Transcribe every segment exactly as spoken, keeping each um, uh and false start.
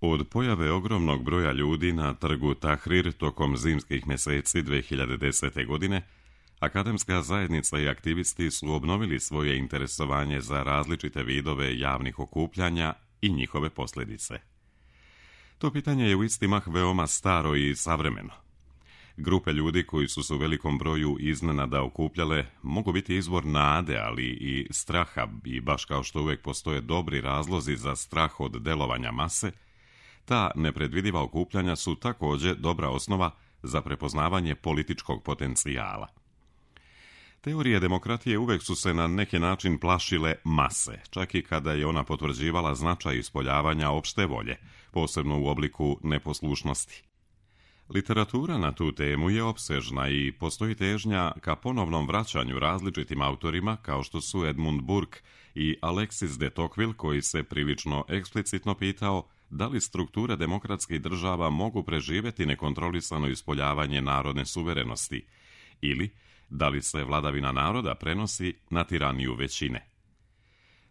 Od pojave ogromnog broja ljudi na trgu Tahrir tokom zimskih mjeseci dvije hiljade desete. godine, akademska zajednica i aktivisti su obnovili svoje interesovanje za različite vidove javnih okupljanja i njihove posljedice. To pitanje je u isti mah veoma staro i savremeno. Grupe ljudi koji su se u velikom broju iznenada okupljale mogu biti izvor nade, ali i straha, i baš kao što uvijek postoje dobri razlozi za strah od delovanja mase, ta nepredvidiva okupljanja su također dobra osnova za prepoznavanje političkog potencijala. Teorije demokratije uvijek su se na neki način plašile mase, čak i kada je ona potvrđivala značaj ispoljavanja opšte volje, posebno u obliku neposlušnosti. Literatura na tu temu je opsežna i postoji težnja ka ponovnom vraćanju različitim autorima kao što su Edmund Burke i Alexis de Tocqueville, koji se prilično eksplicitno pitao da li strukture demokratskih država mogu preživjeti nekontrolisano ispoljavanje narodne suverenosti ili da li se vladavina naroda prenosi na tiraniju većine.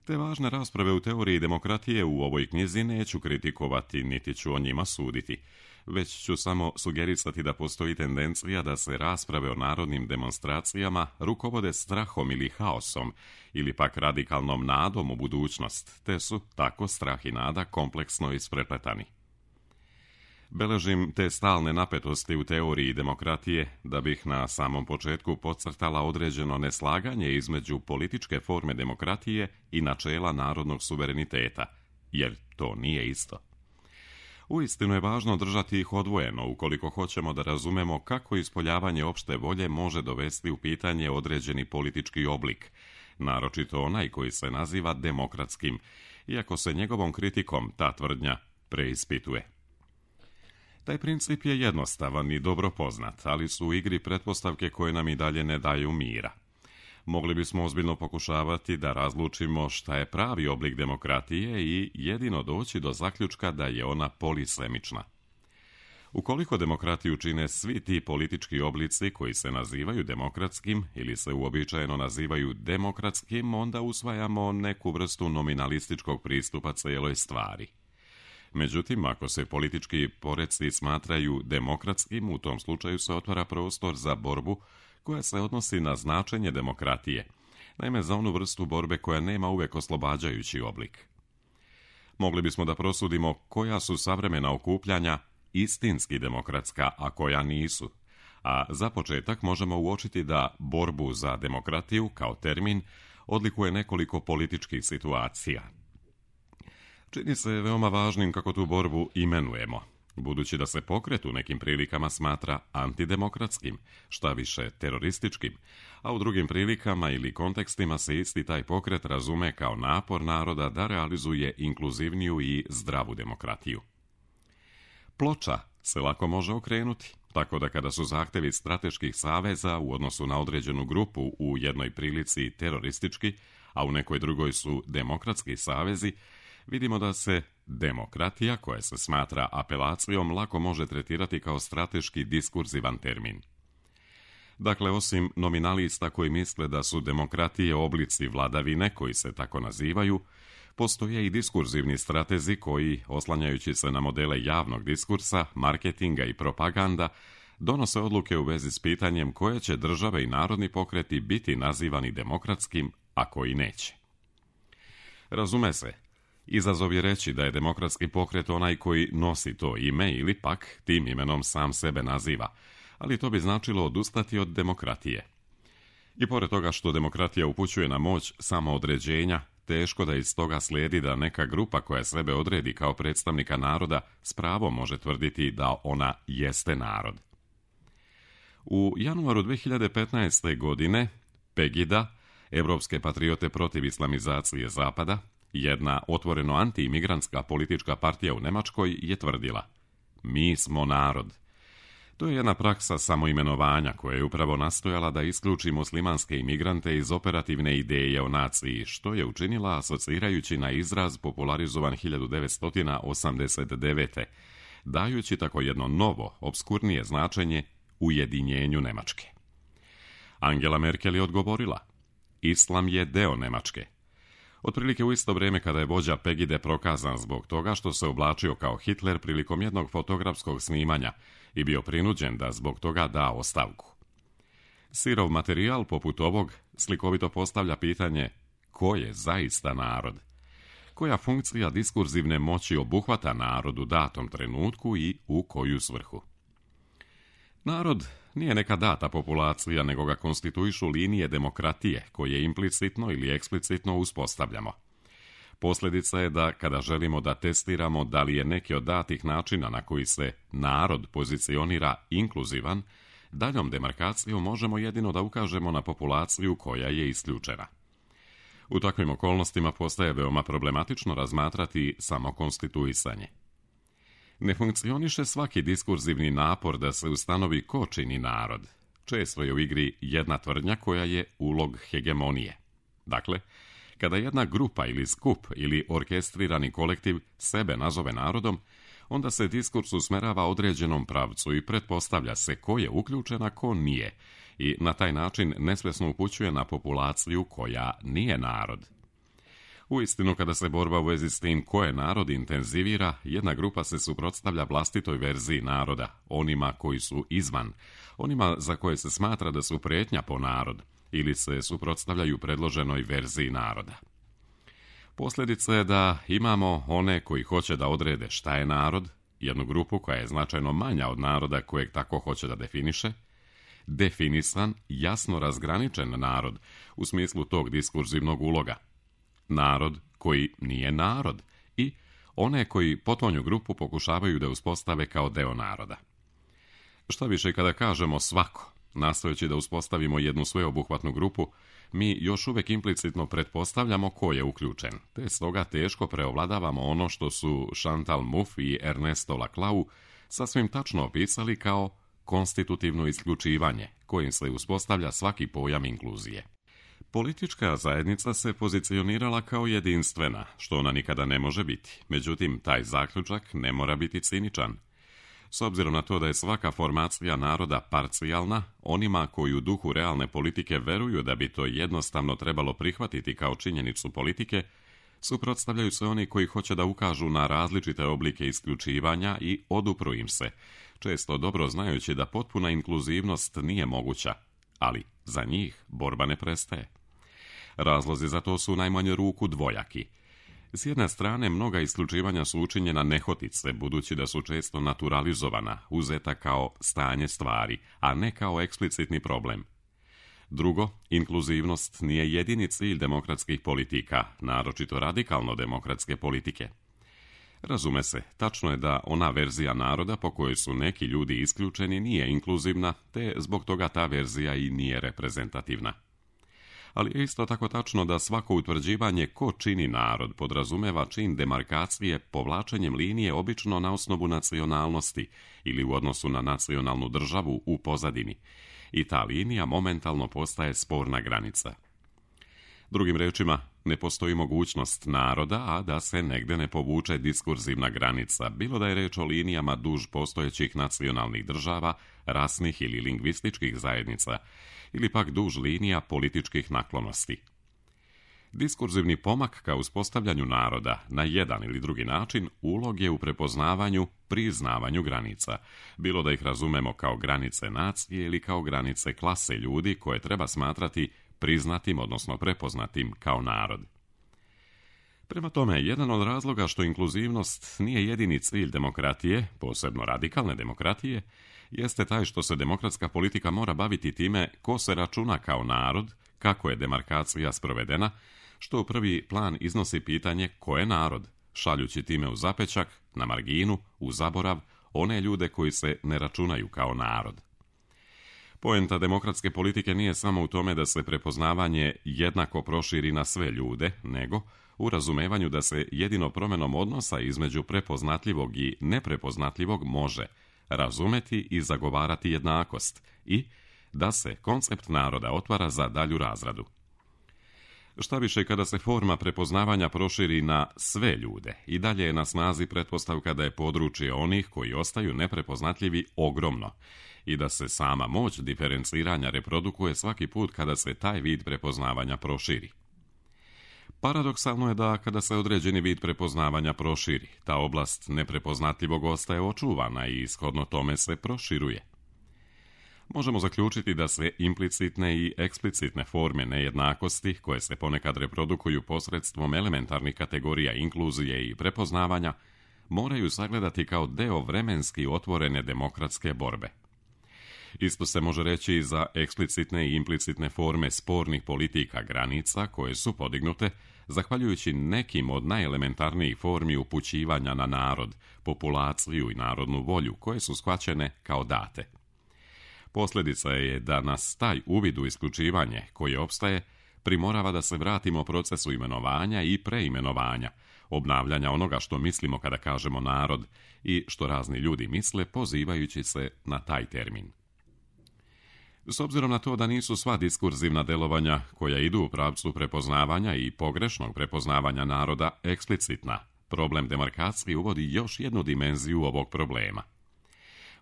Te važne rasprave u teoriji demokratije u ovoj knjizi neću kritikovati, niti ću o njima suditi, već ću samo sugerisati da postoji tendencija da se rasprave o narodnim demonstracijama rukovode strahom ili haosom, ili pak radikalnom nadom u budućnost, te su tako strah i nada kompleksno isprepletani. Beležim te stalne napetosti u teoriji demokratije da bih na samom početku podcrtala određeno neslaganje između političke forme demokratije i načela narodnog suvereniteta, jer to nije isto. Uistinu je važno držati ih odvojeno ukoliko hoćemo da razumemo kako ispoljavanje opšte volje može dovesti u pitanje određeni politički oblik, naročito onaj koji se naziva demokratskim, iako se njegovom kritikom ta tvrdnja preispituje. Taj princip je jednostavan i dobro poznat, ali su u igri pretpostavke koje nam i dalje ne daju mira. Mogli bismo ozbiljno pokušavati da razlučimo šta je pravi oblik demokratije i jedino doći do zaključka da je ona polisemična. Ukoliko demokratiju čine svi ti politički oblici koji se nazivaju demokratskim ili se uobičajeno nazivaju demokratskim, onda usvajamo neku vrstu nominalističkog pristupa cijeloj stvari. Međutim, ako se politički poreci smatraju demokratskim, u tom slučaju se otvara prostor za borbu koja se odnosi na značenje demokratije, naime za onu vrstu borbe koja nema uvijek oslobađajući oblik. Mogli bismo da prosudimo koja su savremena okupljanja istinski demokratska, a koja nisu, a za početak možemo uočiti da borbu za demokratiju kao termin odlikuje nekoliko političkih situacija. Čini se veoma važnim kako tu borbu imenujemo, budući da se pokret u nekim prilikama smatra antidemokratskim, šta više terorističkim, a u drugim prilikama ili kontekstima se isti taj pokret razume kao napor naroda da realizuje inkluzivniju i zdravu demokratiju. Ploča se lako može okrenuti, tako da kada su zahtjevi strateških saveza u odnosu na određenu grupu u jednoj prilici teroristički, a u nekoj drugoj su demokratski savezi, vidimo da se demokratija, koja se smatra apelacijom, lako može tretirati kao strateški diskurzivan termin. Dakle, osim nominalista koji misle da su demokratije oblici vladavine koji se tako nazivaju, postoje i diskurzivni stratezi koji, oslanjajući se na modele javnog diskursa, marketinga i propaganda, donose odluke u vezi s pitanjem koje će države i narodni pokreti biti nazivani demokratskim, a koji neće. Razume se, izazov je reći da je demokratski pokret onaj koji nosi to ime ili pak tim imenom sam sebe naziva, ali to bi značilo odustati od demokratije. I pored toga što demokratija upućuje na moć samoodređenja, teško da iz toga slijedi da neka grupa koja sebe odredi kao predstavnika naroda s pravom može tvrditi da ona jeste narod. U januaru dvije hiljade petnaeste. godine Pegida, Evropske patriote protiv islamizacije Zapada, jedna otvoreno anti-imigrantska politička partija u Njemačkoj, je tvrdila: mi smo narod. To je jedna praksa samoimenovanja koja je upravo nastojala da isključi muslimanske imigrante iz operativne ideje o naciji, što je učinila asocirajući na izraz popularizovan hiljadu devetsto osamdeset devete. dajući tako jedno novo, obskurnije značenje ujedinjenju Njemačke. Angela Merkel je odgovorila: Islam je deo Njemačke. Otprilike u isto vrijeme kada je vođa Pegide prokazan zbog toga što se oblačio kao Hitler prilikom jednog fotografskog snimanja i bio prinuđen da zbog toga da ostavku. Sirov materijal poput ovog slikovito postavlja pitanje ko je zaista narod? Koja funkcija diskurzivne moći obuhvata narod u datom trenutku i u koju svrhu? Narod nije neka data populacija, nego ga konstituišu linije demokratije koje implicitno ili eksplicitno uspostavljamo. Posljedica je da kada želimo da testiramo da li je neki od datih načina na koji se narod pozicionira inkluzivan, daljom demarkacijom možemo jedino da ukažemo na populaciju koja je isključena. U takvim okolnostima postaje veoma problematično razmatrati samo konstituisanje. Ne funkcioniše svaki diskurzivni napor da se ustanovi ko čini narod. Često je u igri jedna tvrdnja koja je ulog hegemonije. Dakle, kada jedna grupa ili skup ili orkestrirani kolektiv sebe nazove narodom, onda se diskurs usmerava određenom pravcu i pretpostavlja se ko je uključen, a ko nije, i na taj način nesvjesno upućuje na populaciju koja nije narod. Uistinu, kada se borba u vezi s tim ko je narod intenzivira, jedna grupa se suprotstavlja vlastitoj verziji naroda, onima koji su izvan, onima za koje se smatra da su prijetnja po narod, ili se suprotstavljaju predloženoj verziji naroda. Posljedica je da imamo one koji hoće da odrede šta je narod, jednu grupu koja je značajno manja od naroda kojeg tako hoće da definiše, definisan, jasno razgraničen narod u smislu tog diskurzivnog uloga, narod koji nije narod i one koji potonju grupu pokušavaju da uspostave kao deo naroda. Šta više, kada kažemo svako, nastojeći da uspostavimo jednu sveobuhvatnu grupu, mi još uvijek implicitno pretpostavljamo ko je uključen, te stoga teško preovladavamo ono što su Chantal Mouffe i Ernesto Laclau sasvim tačno opisali kao konstitutivno isključivanje, kojim se uspostavlja svaki pojam inkluzije. Politička zajednica se pozicionirala kao jedinstvena, što ona nikada ne može biti. Međutim, taj zaključak ne mora biti ciničan. S obzirom na to da je svaka formacija naroda parcijalna, onima koji u duhu realne politike veruju da bi to jednostavno trebalo prihvatiti kao činjenicu politike, suprotstavljaju se oni koji hoće da ukažu na različite oblike isključivanja i odupru im se, često dobro znajući da potpuna inkluzivnost nije moguća, ali za njih borba ne prestaje. Razlozi za to su u najmanju ruku dvojaki. S jedne strane, mnoga isključivanja su učinjena nehotice, budući da su često naturalizovana, uzeta kao stanje stvari, a ne kao eksplicitni problem. Drugo, inkluzivnost nije jedini cilj demokratskih politika, naročito radikalno demokratske politike. Razume se, tačno je da ona verzija naroda po kojoj su neki ljudi isključeni nije inkluzivna, te zbog toga ta verzija i nije reprezentativna. Ali je isto tako tačno da svako utvrđivanje ko čini narod podrazumeva čin demarkacije povlačenjem linije obično na osnovu nacionalnosti ili u odnosu na nacionalnu državu u pozadini, i ta linija momentalno postaje sporna granica. Drugim rečima, ne postoji mogućnost naroda, a da se negde ne povuče diskurzivna granica, bilo da je reč o linijama duž postojećih nacionalnih država, rasnih ili lingvističkih zajednica, ili pak duž linija političkih naklonosti. Diskurzivni pomak ka uspostavljanju naroda na jedan ili drugi način ulog je u prepoznavanju, priznavanju granica, bilo da ih razumemo kao granice nacije ili kao granice klase ljudi koje treba smatrati priznatim, odnosno prepoznatim kao narod. Prema tome, jedan od razloga što inkluzivnost nije jedini cilj demokratije, posebno radikalne demokratije, jeste taj što se demokratska politika mora baviti time ko se računa kao narod, kako je demarkacija sprovedena, što u prvi plan iznosi pitanje ko je narod, šaljući time u zapečak, na marginu, u zaborav, one ljude koji se ne računaju kao narod. Poenta demokratske politike nije samo u tome da se prepoznavanje jednako proširi na sve ljude, nego u razumevanju da se jedino promjenom odnosa između prepoznatljivog i neprepoznatljivog može razumeti i zagovarati jednakost i da se koncept naroda otvara za dalju razradu. Šta više, kada se forma prepoznavanja proširi na sve ljude, i dalje je na snazi pretpostavka da je područje onih koji ostaju neprepoznatljivi ogromno i da se sama moć diferenciranja reprodukuje svaki put kada se taj vid prepoznavanja proširi. Paradoksalno je da kada se određeni vid prepoznavanja proširi, ta oblast neprepoznatljivog ostaje očuvana i shodno tome se proširuje. Možemo zaključiti da se implicitne i eksplicitne forme nejednakosti, koje se ponekad reprodukuju posredstvom elementarnih kategorija inkluzije i prepoznavanja, moraju sagledati kao deo vremenski otvorene demokratske borbe. Isto se može reći i za eksplicitne i implicitne forme spornih politika granica koje su podignute zahvaljujući nekim od najelementarnijih formi upućivanja na narod, populaciju i narodnu volju koje su shvaćene kao date. Posljedica je da nas taj uvid u isključivanje koje opstaje primorava da se vratimo procesu imenovanja i preimenovanja, obnavljanja onoga što mislimo kada kažemo narod i što razni ljudi misle pozivajući se na taj termin. S obzirom na to da nisu sva diskurzivna delovanja koja idu u pravcu prepoznavanja i pogrešnog prepoznavanja naroda eksplicitna, problem demarkacije uvodi još jednu dimenziju ovog problema.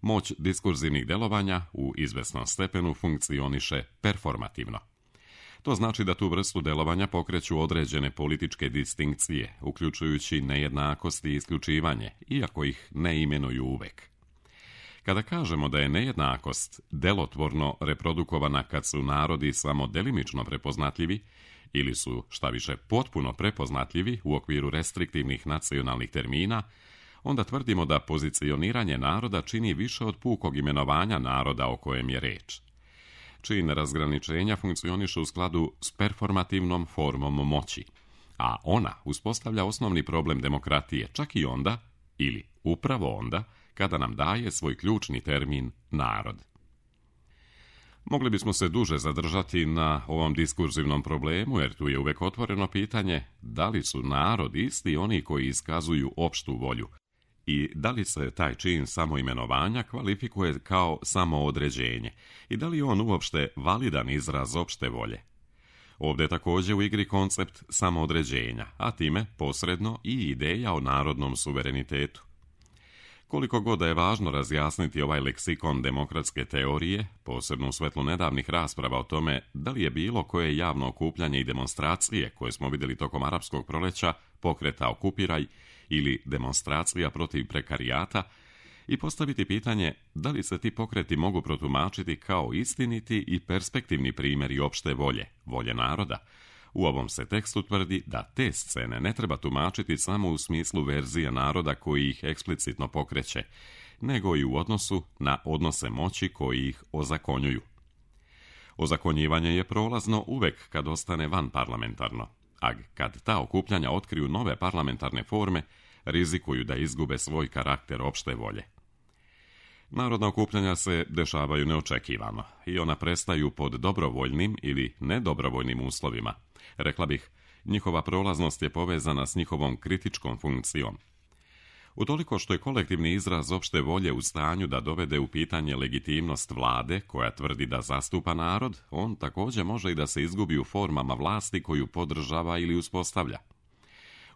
Moć diskurzivnih delovanja u izvesnom stepenu funkcioniše performativno. To znači da tu vrstu delovanja pokreću određene političke distinkcije, uključujući nejednakost i isključivanje, iako ih ne imenuju uvek. Kada kažemo da je nejednakost delotvorno reprodukovana kad su narodi samo delimično prepoznatljivi ili su, šta više, potpuno prepoznatljivi u okviru restriktivnih nacionalnih termina, onda tvrdimo da pozicioniranje naroda čini više od pukog imenovanja naroda o kojem je reč. Čin razgraničenja funkcioniše u skladu s performativnom formom moći, a ona uspostavlja osnovni problem demokratije čak i onda, ili upravo onda, kada nam daje svoj ključni termin narod. Mogli bismo se duže zadržati na ovom diskurzivnom problemu, jer tu je uvek otvoreno pitanje da li su narod isti oni koji iskazuju opštu volju i da li se taj čin samoimenovanja kvalifikuje kao samoodređenje i da li je on uopšte validan izraz opšte volje. Ovdje je također u igri koncept samoodređenja, a time posredno i ideja o narodnom suverenitetu. Koliko god da je važno razjasniti ovaj leksikon demokratske teorije, posebno u svetlu nedavnih rasprava o tome da li je bilo koje javno okupljanje i demonstracije koje smo vidjeli tokom arapskog proleća, pokreta Okupiraj ili demonstracija protiv prekarijata, i postaviti pitanje da li se ti pokreti mogu protumačiti kao istiniti i perspektivni primjeri opšte volje, volje naroda. U ovom se tekstu tvrdi da te scene ne treba tumačiti samo u smislu verzije naroda koji ih eksplicitno pokreće, nego i u odnosu na odnose moći koji ih ozakonjuju. Ozakonjivanje je prolazno uvek kad ostane vanparlamentarno, a kad ta okupljanja otkriju nove parlamentarne forme, rizikuju da izgube svoj karakter opšte volje. Narodna okupljanja se dešavaju neočekivano i ona prestaju pod dobrovoljnim ili nedobrovoljnim uslovima. Rekla bih, njihova prolaznost je povezana s njihovom kritičkom funkcijom. Utoliko što je kolektivni izraz opšte volje u stanju da dovede u pitanje legitimnost vlade koja tvrdi da zastupa narod, on također može i da se izgubi u formama vlasti koju podržava ili uspostavlja.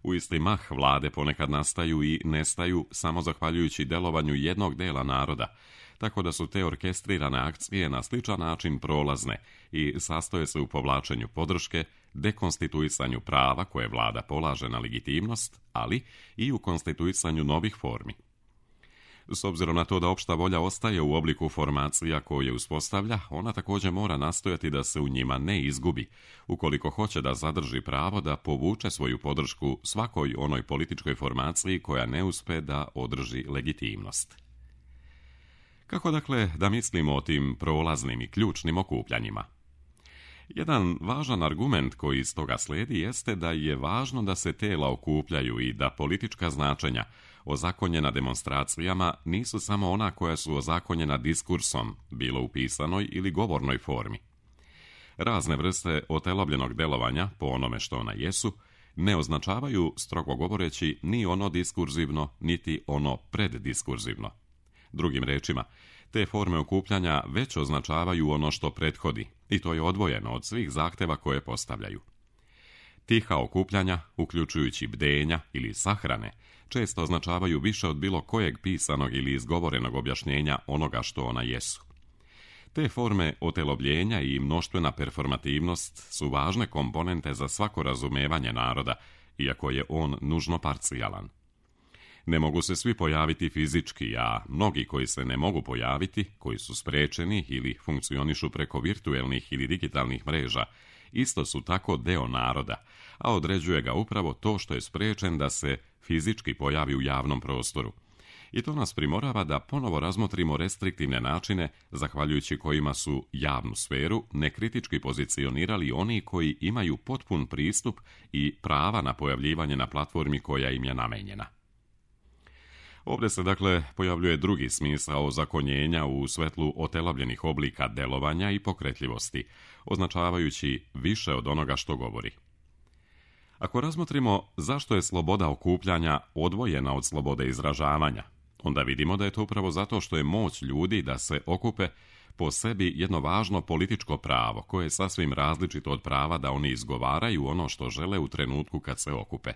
U isti mah vlade ponekad nastaju i nestaju samo zahvaljujući delovanju jednog dela naroda, tako da su te orkestrirane akcije na sličan način prolazne i sastoje se u povlačenju podrške, dekonstituisanju prava koje vlada polaže na legitimnost, ali i u konstituisanju novih formi. S obzirom na to da opšta volja ostaje u obliku formacija koje uspostavlja, ona također mora nastojati da se u njima ne izgubi, ukoliko hoće da zadrži pravo da povuče svoju podršku svakoj onoj političkoj formaciji koja ne uspe da održi legitimnost. Kako dakle da mislimo o tim prolaznim i ključnim okupljanjima? Jedan važan argument koji iz toga slijedi jeste da je važno da se tela okupljaju i da politička značenja ozakonjena demonstracijama nisu samo ona koja su ozakonjena diskursom, bilo u pisanoj ili govornoj formi. Razne vrste otelobljenog delovanja, po onome što ona jesu, ne označavaju, strogo govoreći, ni ono diskurzivno, niti ono preddiskurzivno. Drugim rečima, te forme okupljanja već označavaju ono što prethodi, i to je odvojeno od svih zahteva koje postavljaju. Tiha okupljanja, uključujući bdenja ili sahrane, često označavaju više od bilo kojeg pisanog ili izgovorenog objašnjenja onoga što ona jesu. Te forme otelobljenja i mnoštvena performativnost su važne komponente za svako razumevanje naroda, iako je on nužno parcijalan. Ne mogu se svi pojaviti fizički, a mnogi koji se ne mogu pojaviti, koji su sprečeni ili funkcionišu preko virtuelnih ili digitalnih mreža, isto su tako deo naroda, a određuje ga upravo to što je sprečen da se fizički pojavi u javnom prostoru. I to nas primorava da ponovo razmotrimo restriktivne načine, zahvaljujući kojima su javnu sferu nekritički pozicionirali oni koji imaju potpun pristup i prava na pojavljivanje na platformi koja im je namenjena. Ovdje se dakle pojavljuje drugi smisao ozakonjenja u svetlu otelovljenih oblika delovanja i pokretljivosti, označavajući više od onoga što govori. Ako razmotrimo zašto je sloboda okupljanja odvojena od slobode izražavanja, onda vidimo da je to upravo zato što je moć ljudi da se okupe po sebi jedno važno političko pravo, koje je sasvim različito od prava da oni izgovaraju ono što žele u trenutku kad se okupe.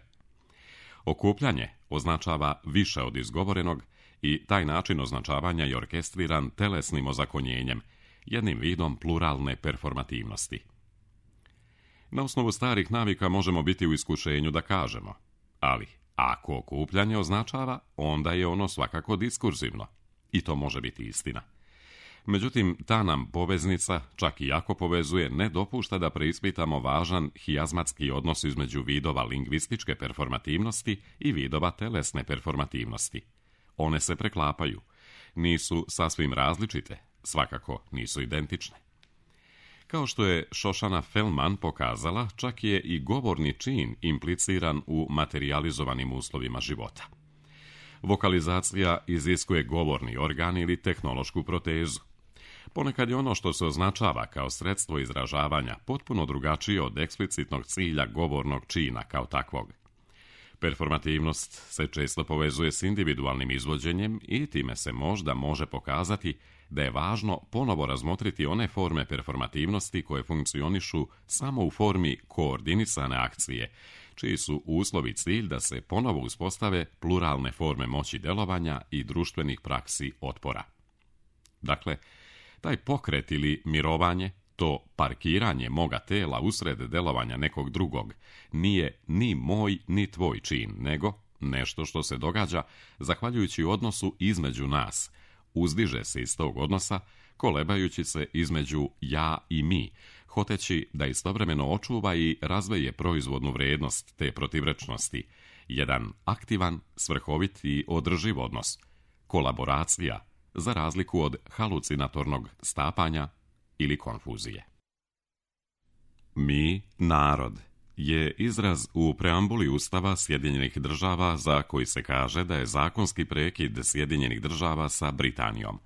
Okupljanje označava više od izgovorenog i taj način označavanja je orkestriran telesnim ozakonjenjem, jednim vidom pluralne performativnosti. Na osnovu starih navika možemo biti u iskušenju da kažemo, ali ako okupljanje označava, onda je ono svakako diskurzivno. I to može biti istina. Međutim, ta nam poveznica, čak i ako povezuje, ne dopušta da preispitamo važan hijazmatski odnos između vidova lingvističke performativnosti i vidova telesne performativnosti. One se preklapaju. Nisu sasvim različite, svakako nisu identične. Kao što je Shoshana Felman pokazala, čak je i govorni čin impliciran u materijalizovanim uslovima života. Vokalizacija iziskuje govorni organ ili tehnološku protezu. Ponekad je ono što se označava kao sredstvo izražavanja potpuno drugačije od eksplicitnog cilja govornog čina kao takvog. Performativnost se često povezuje s individualnim izvođenjem i time se možda može pokazati da je važno ponovo razmotriti one forme performativnosti koje funkcionišu samo u formi koordinisane akcije, čiji su uslovi cilj da se ponovo uspostave pluralne forme moći delovanja i društvenih praksi otpora. Dakle, taj pokret ili mirovanje, to parkiranje moga tela usred delovanja nekog drugog, nije ni moj ni tvoj čin, nego nešto što se događa zahvaljujući odnosu između nas, uzdiže se iz tog odnosa, kolebajući se između ja i mi, hoteći da istovremeno očuva i razveje proizvodnu vrijednost te protivrečnosti, jedan aktivan, svrhovit i održiv odnos, kolaboracija, za razliku od halucinatornog stapanja ili konfuzije. Mi, narod, je izraz u preambuli Ustava Sjedinjenih država za koji se kaže da je zakonski prekid Sjedinjenih država sa Britanijom,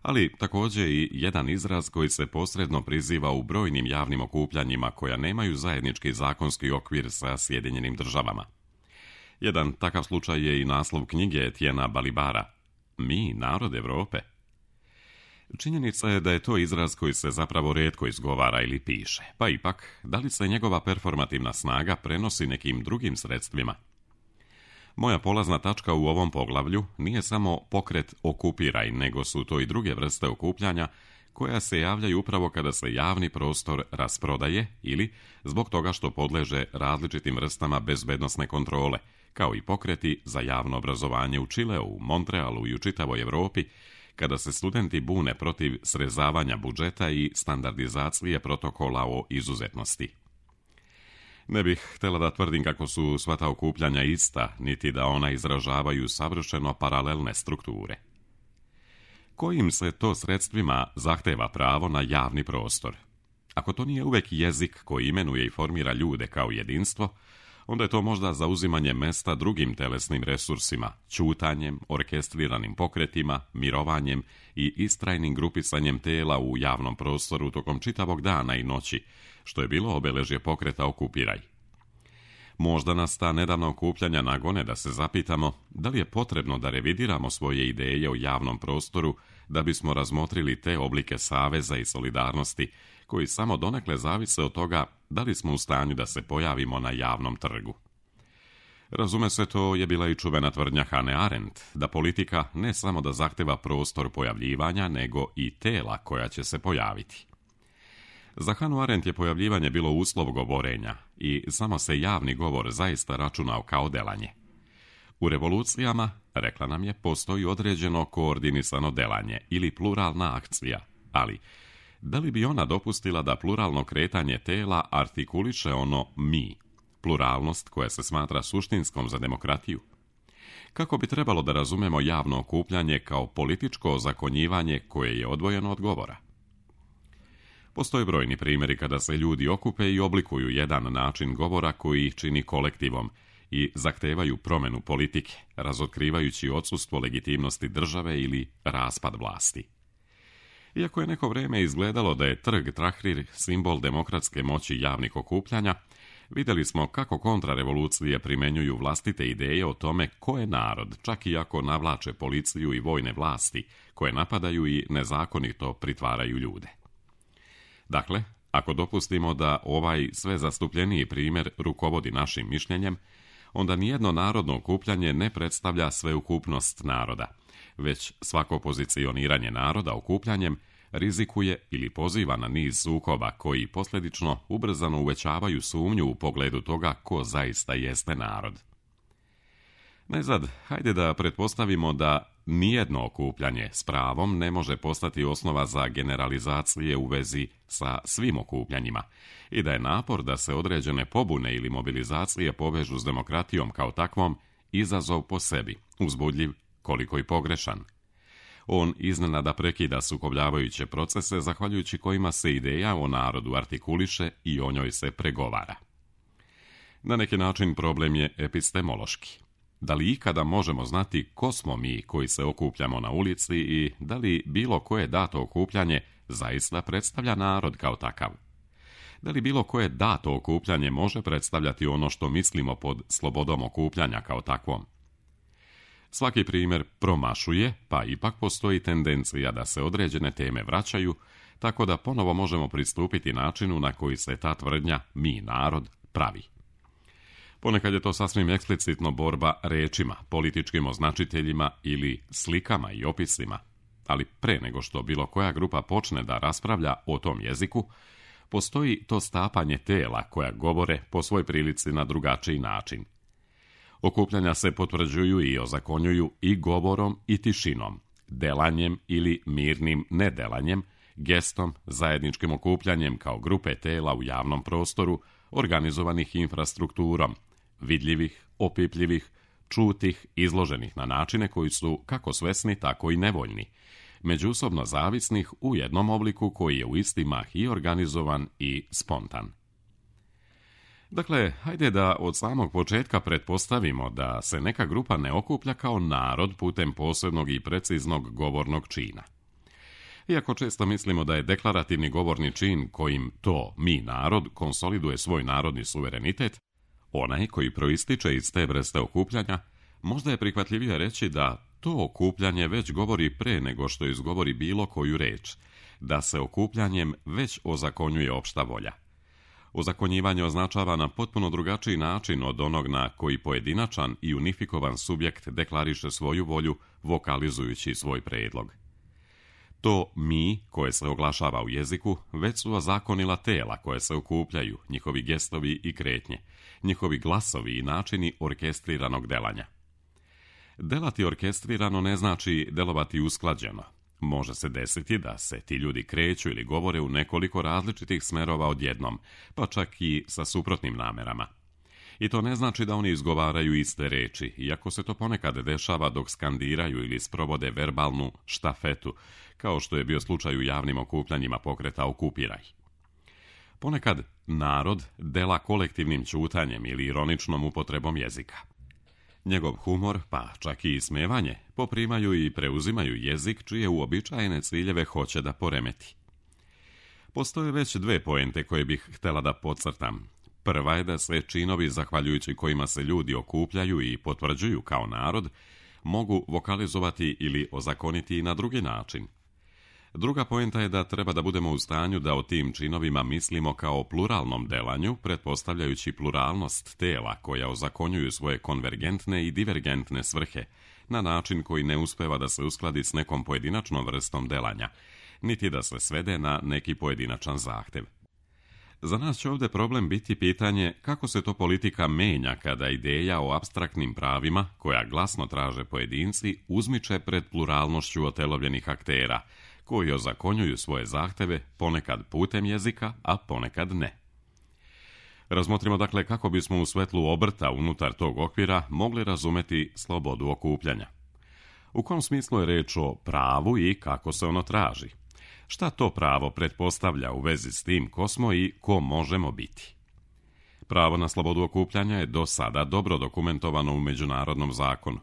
ali također i jedan izraz koji se posredno priziva u brojnim javnim okupljanjima koja nemaju zajednički zakonski okvir sa Sjedinjenim državama. Jedan takav slučaj je i naslov knjige Etiena Balibara, Mi, narod Evrope. Činjenica je da je to izraz koji se zapravo rijetko izgovara ili piše, pa ipak, da li se njegova performativna snaga prenosi nekim drugim sredstvima? Moja polazna tačka u ovom poglavlju nije samo pokret okupiraj, nego su to i druge vrste okupljanja koja se javljaju upravo kada se javni prostor rasprodaje ili zbog toga što podleže različitim vrstama bezbednosne kontrole, kao i pokreti za javno obrazovanje u Čileu, Montrealu i u čitavoj Evropi, kada se studenti bune protiv srezavanja budžeta i standardizacije protokola o izuzetnosti. Ne bih htjela da tvrdim kako su sva ta okupljanja ista, niti da ona izražavaju savršeno paralelne strukture. Kojim se to sredstvima zahteva pravo na javni prostor? Ako to nije uvek jezik koji imenuje i formira ljude kao jedinstvo, onda je to možda zauzimanje mesta drugim telesnim resursima, ćutanjem, orkestriranim pokretima, mirovanjem i istrajnim grupisanjem tela u javnom prostoru tokom čitavog dana i noći, što je bilo obeležje pokreta Okupiraj. Možda nas ta nedavna okupljanja nagone da se zapitamo da li je potrebno da revidiramo svoje ideje o javnom prostoru da bismo razmotrili te oblike saveza i solidarnosti koji samo donekle zavise od toga da li smo u stanju da se pojavimo na javnom trgu. Razume se, to je bila i čuvena tvrdnja Hane Arendt, da politika ne samo da zahteva prostor pojavljivanja, nego i tela koja će se pojaviti. Za Hanu Arendt je pojavljivanje bilo uslov govorenja i samo se javni govor zaista računao kao delanje. U revolucijama, rekla nam je, postoji određeno koordinisano delanje ili pluralna akcija, ali da li bi ona dopustila da pluralno kretanje tela artikuliše ono mi, pluralnost koja se smatra suštinskom za demokratiju? Kako bi trebalo da razumemo javno okupljanje kao političko ozakonjivanje koje je odvojeno od govora? Postoje brojni primjeri kada se ljudi okupe i oblikuju jedan način govora koji ih čini kolektivom i zahtevaju promjenu politike, razotkrivajući odsustvo legitimnosti države ili raspad vlasti. Iako je neko vrijeme izgledalo da je trg Tahrir simbol demokratske moći javnih okupljanja, vidjeli smo kako kontrarevolucije primjenjuju vlastite ideje o tome ko je narod, čak i ako navlače policiju i vojne vlasti, koje napadaju i nezakonito pritvaraju ljude. Dakle, ako dopustimo da ovaj sve zastupljeniji primjer rukovodi našim mišljenjem, onda nijedno narodno okupljanje ne predstavlja sveukupnost naroda, već svako pozicioniranje naroda okupljanjem rizikuje ili poziva na niz sukoba koji posljedično ubrzano uvećavaju sumnju u pogledu toga ko zaista jeste narod. Najzad, hajde da pretpostavimo da nijedno okupljanje s pravom ne može postati osnova za generalizacije u vezi sa svim okupljanjima i da je napor da se određene pobune ili mobilizacije povežu s demokratijom kao takvom izazov po sebi, uzbudljiv koliko i pogrešan. On iznenada prekida sukobljavajuće procese zahvaljujući kojima se ideja o narodu artikuliše i o njoj se pregovara. Na neki način problem je epistemološki. Da li ikada možemo znati ko smo mi koji se okupljamo na ulici i da li bilo koje dato okupljanje zaista predstavlja narod kao takav? Da li bilo koje dato okupljanje može predstavljati ono što mislimo pod slobodom okupljanja kao takvom? Svaki primjer promašuje, pa ipak postoji tendencija da se određene teme vraćaju, tako da ponovo možemo pristupiti načinu na koji se ta tvrdnja mi narod pravi. Ponekad je to sasvim eksplicitno borba rečima, političkim označiteljima ili slikama i opisima, ali pre nego što bilo koja grupa počne da raspravlja o tom jeziku, postoji to stapanje tela koja govore po svoj prilici na drugačiji način. Okupljanja se potvrđuju i ozakonjuju i govorom i tišinom, delanjem ili mirnim nedelanjem, gestom, zajedničkim okupljanjem kao grupe tela u javnom prostoru, organizovanih infrastrukturom, vidljivih, opipljivih, čutih, izloženih na načine koji su kako svesni, tako i nevoljni, međusobno zavisnih u jednom obliku koji je u isti mah i organizovan i spontan. Dakle, hajde da od samog početka pretpostavimo da se neka grupa ne okuplja kao narod putem posebnog i preciznog govornog čina. Iako često mislimo da je deklarativni govorni čin kojim to, mi narod, konsoliduje svoj narodni suverenitet, onaj koji proističe iz te vrste okupljanja, možda je prihvatljivije reći da to okupljanje već govori pre nego što izgovori bilo koju reč, da se okupljanjem već ozakonjuje opšta volja. Ozakonjivanje označava na potpuno drugačiji način od onog na koji pojedinačan i unifikovan subjekt deklariše svoju volju vokalizujući svoj predlog. To mi, koje se oglašava u jeziku, već su ozakonila tela koje se okupljaju, njihovi gestovi i kretnje, njihovi glasovi i načini orkestriranog delanja. Delati orkestrirano ne znači delovati usklađeno. Može se desiti da se ti ljudi kreću ili govore u nekoliko različitih smerova odjednom, pa čak i sa suprotnim namerama. I to ne znači da oni izgovaraju iste reči, iako se to ponekad dešava dok skandiraju ili sprovode verbalnu štafetu, kao što je bio slučaj u javnim okupljanjima pokreta Okupiraj. Ponekad narod dela kolektivnim ćutanjem ili ironičnom upotrebom jezika. Njegov humor, pa čak i ismevanje, poprimaju i preuzimaju jezik čije uobičajene ciljeve hoće da poremeti. Postoje već dve poente koje bih htjela da podcrtam. Prva je da se činovi zahvaljujući kojima se ljudi okupljaju i potvrđuju kao narod mogu vokalizovati ili ozakoniti i na drugi način. Druga poenta je da treba da budemo u stanju da o tim činovima mislimo kao pluralnom delanju, pretpostavljajući pluralnost tela koja ozakonjuju svoje konvergentne i divergentne svrhe, na način koji ne uspeva da se uskladi s nekom pojedinačnom vrstom delanja, niti da se svede na neki pojedinačan zahtev. Za nas će ovdje problem biti pitanje kako se to politika menja kada ideja o apstraktnim pravima, koja glasno traže pojedinci, uzmiče pred pluralnošću otelovljenih aktera, koji ozakonjuju svoje zahteve ponekad putem jezika, a ponekad ne. Razmotrimo dakle kako bismo u svetlu obrta unutar tog okvira mogli razumeti slobodu okupljanja. U kom smislu je reč o pravu i kako se ono traži? Šta to pravo pretpostavlja u vezi s tim ko smo i ko možemo biti? Pravo na slobodu okupljanja je do sada dobro dokumentovano u međunarodnom zakonu.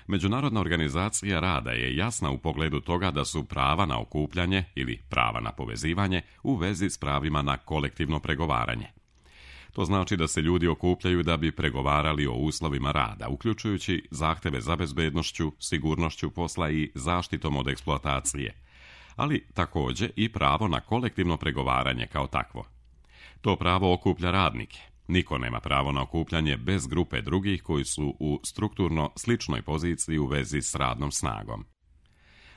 Međunarodna organizacija rada je jasna u pogledu toga da su prava na okupljanje ili prava na povezivanje u vezi s pravima na kolektivno pregovaranje. To znači da se ljudi okupljaju da bi pregovarali o uslovima rada, uključujući zahteve za bezbednošću, sigurnošću posla i zaštitom od eksploatacije, ali također i pravo na kolektivno pregovaranje kao takvo. To pravo okuplja radnike. Niko nema pravo na okupljanje bez grupe drugih koji su u strukturno sličnoj poziciji u vezi s radnom snagom.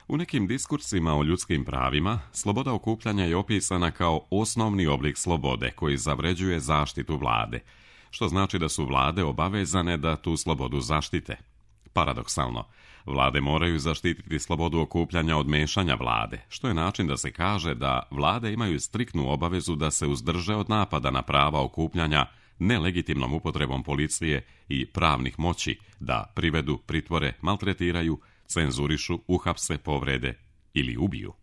U nekim diskursima o ljudskim pravima, sloboda okupljanja je opisana kao osnovni oblik slobode koji zavređuje zaštitu vlade, što znači da su vlade obavezane da tu slobodu zaštite. Paradoksalno, vlade moraju zaštititi slobodu okupljanja od mešanja vlade, što je način da se kaže da vlade imaju striktnu obavezu da se uzdrže od napada na prava okupljanja nelegitimnom upotrebom policije i pravnih moći da privedu, pritvore, maltretiraju, cenzurišu, uhapse, povrede ili ubiju.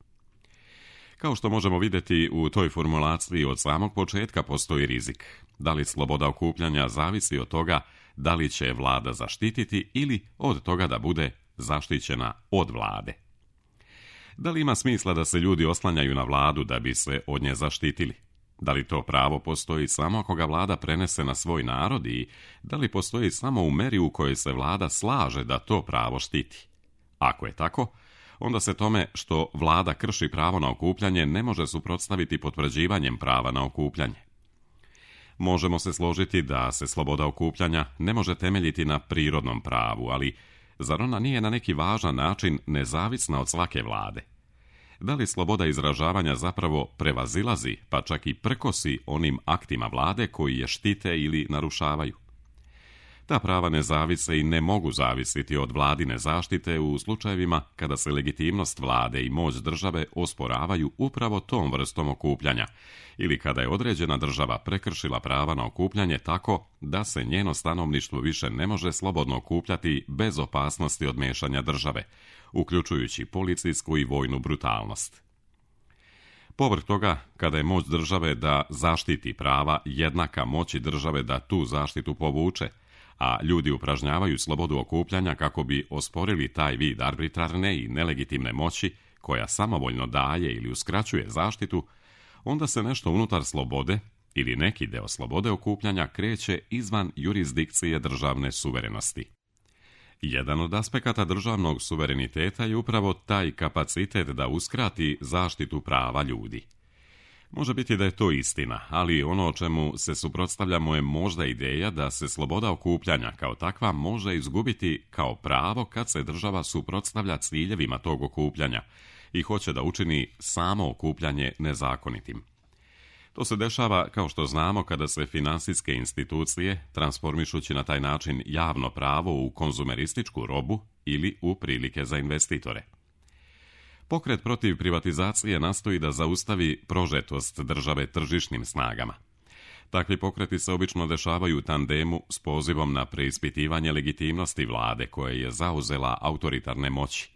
Kao što možemo vidjeti, u toj formulaciji od samog početka postoji rizik. Da li sloboda okupljanja zavisi od toga da li će vlada zaštititi ili od toga da bude zaštićena od vlade. Da li ima smisla da se ljudi oslanjaju na vladu da bi se od nje zaštitili? Da li to pravo postoji samo ako ga vlada prenese na svoj narod i da li postoji samo u meri u kojoj se vlada slaže da to pravo štiti? Ako je tako, onda se tome što vlada krši pravo na okupljanje ne može suprotstaviti potvrđivanjem prava na okupljanje. Možemo se složiti da se sloboda okupljanja ne može temeljiti na prirodnom pravu, ali zar ona nije na neki važan način nezavisna od svake vlade? Da li sloboda izražavanja zapravo prevazilazi, pa čak i prkosi onim aktima vlade koji je štite ili narušavaju? Ta prava ne zavise i ne mogu zavisiti od vladine zaštite u slučajevima kada se legitimnost vlade i moć države osporavaju upravo tom vrstom okupljanja ili kada je određena država prekršila prava na okupljanje tako da se njeno stanovništvo više ne može slobodno okupljati bez opasnosti od mešanja države, uključujući policijsku i vojnu brutalnost. Povrh toga, kada je moć države da zaštiti prava jednaka moći države da tu zaštitu povuče, a ljudi upražnjavaju slobodu okupljanja kako bi osporili taj vid arbitrarne i nelegitimne moći koja samovoljno daje ili uskraćuje zaštitu, onda se nešto unutar slobode ili neki deo slobode okupljanja kreće izvan jurisdikcije državne suverenosti. Jedan od aspekata državnog suvereniteta je upravo taj kapacitet da uskrati zaštitu prava ljudi. Može biti da je to istina, ali ono o čemu se suprotstavljamo je možda ideja da se sloboda okupljanja kao takva može izgubiti kao pravo kad se država suprotstavlja ciljevima tog okupljanja i hoće da učini samo okupljanje nezakonitim. To se dešava, kao što znamo, kada se finansijske institucije, transformišući na taj način javno pravo u konzumerističku robu ili u prilike za investitore. Pokret protiv privatizacije nastoji da zaustavi prožetost države tržišnim snagama. Takvi pokreti se obično dešavaju u tandemu s pozivom na preispitivanje legitimnosti vlade koja je zauzela autoritarne moći.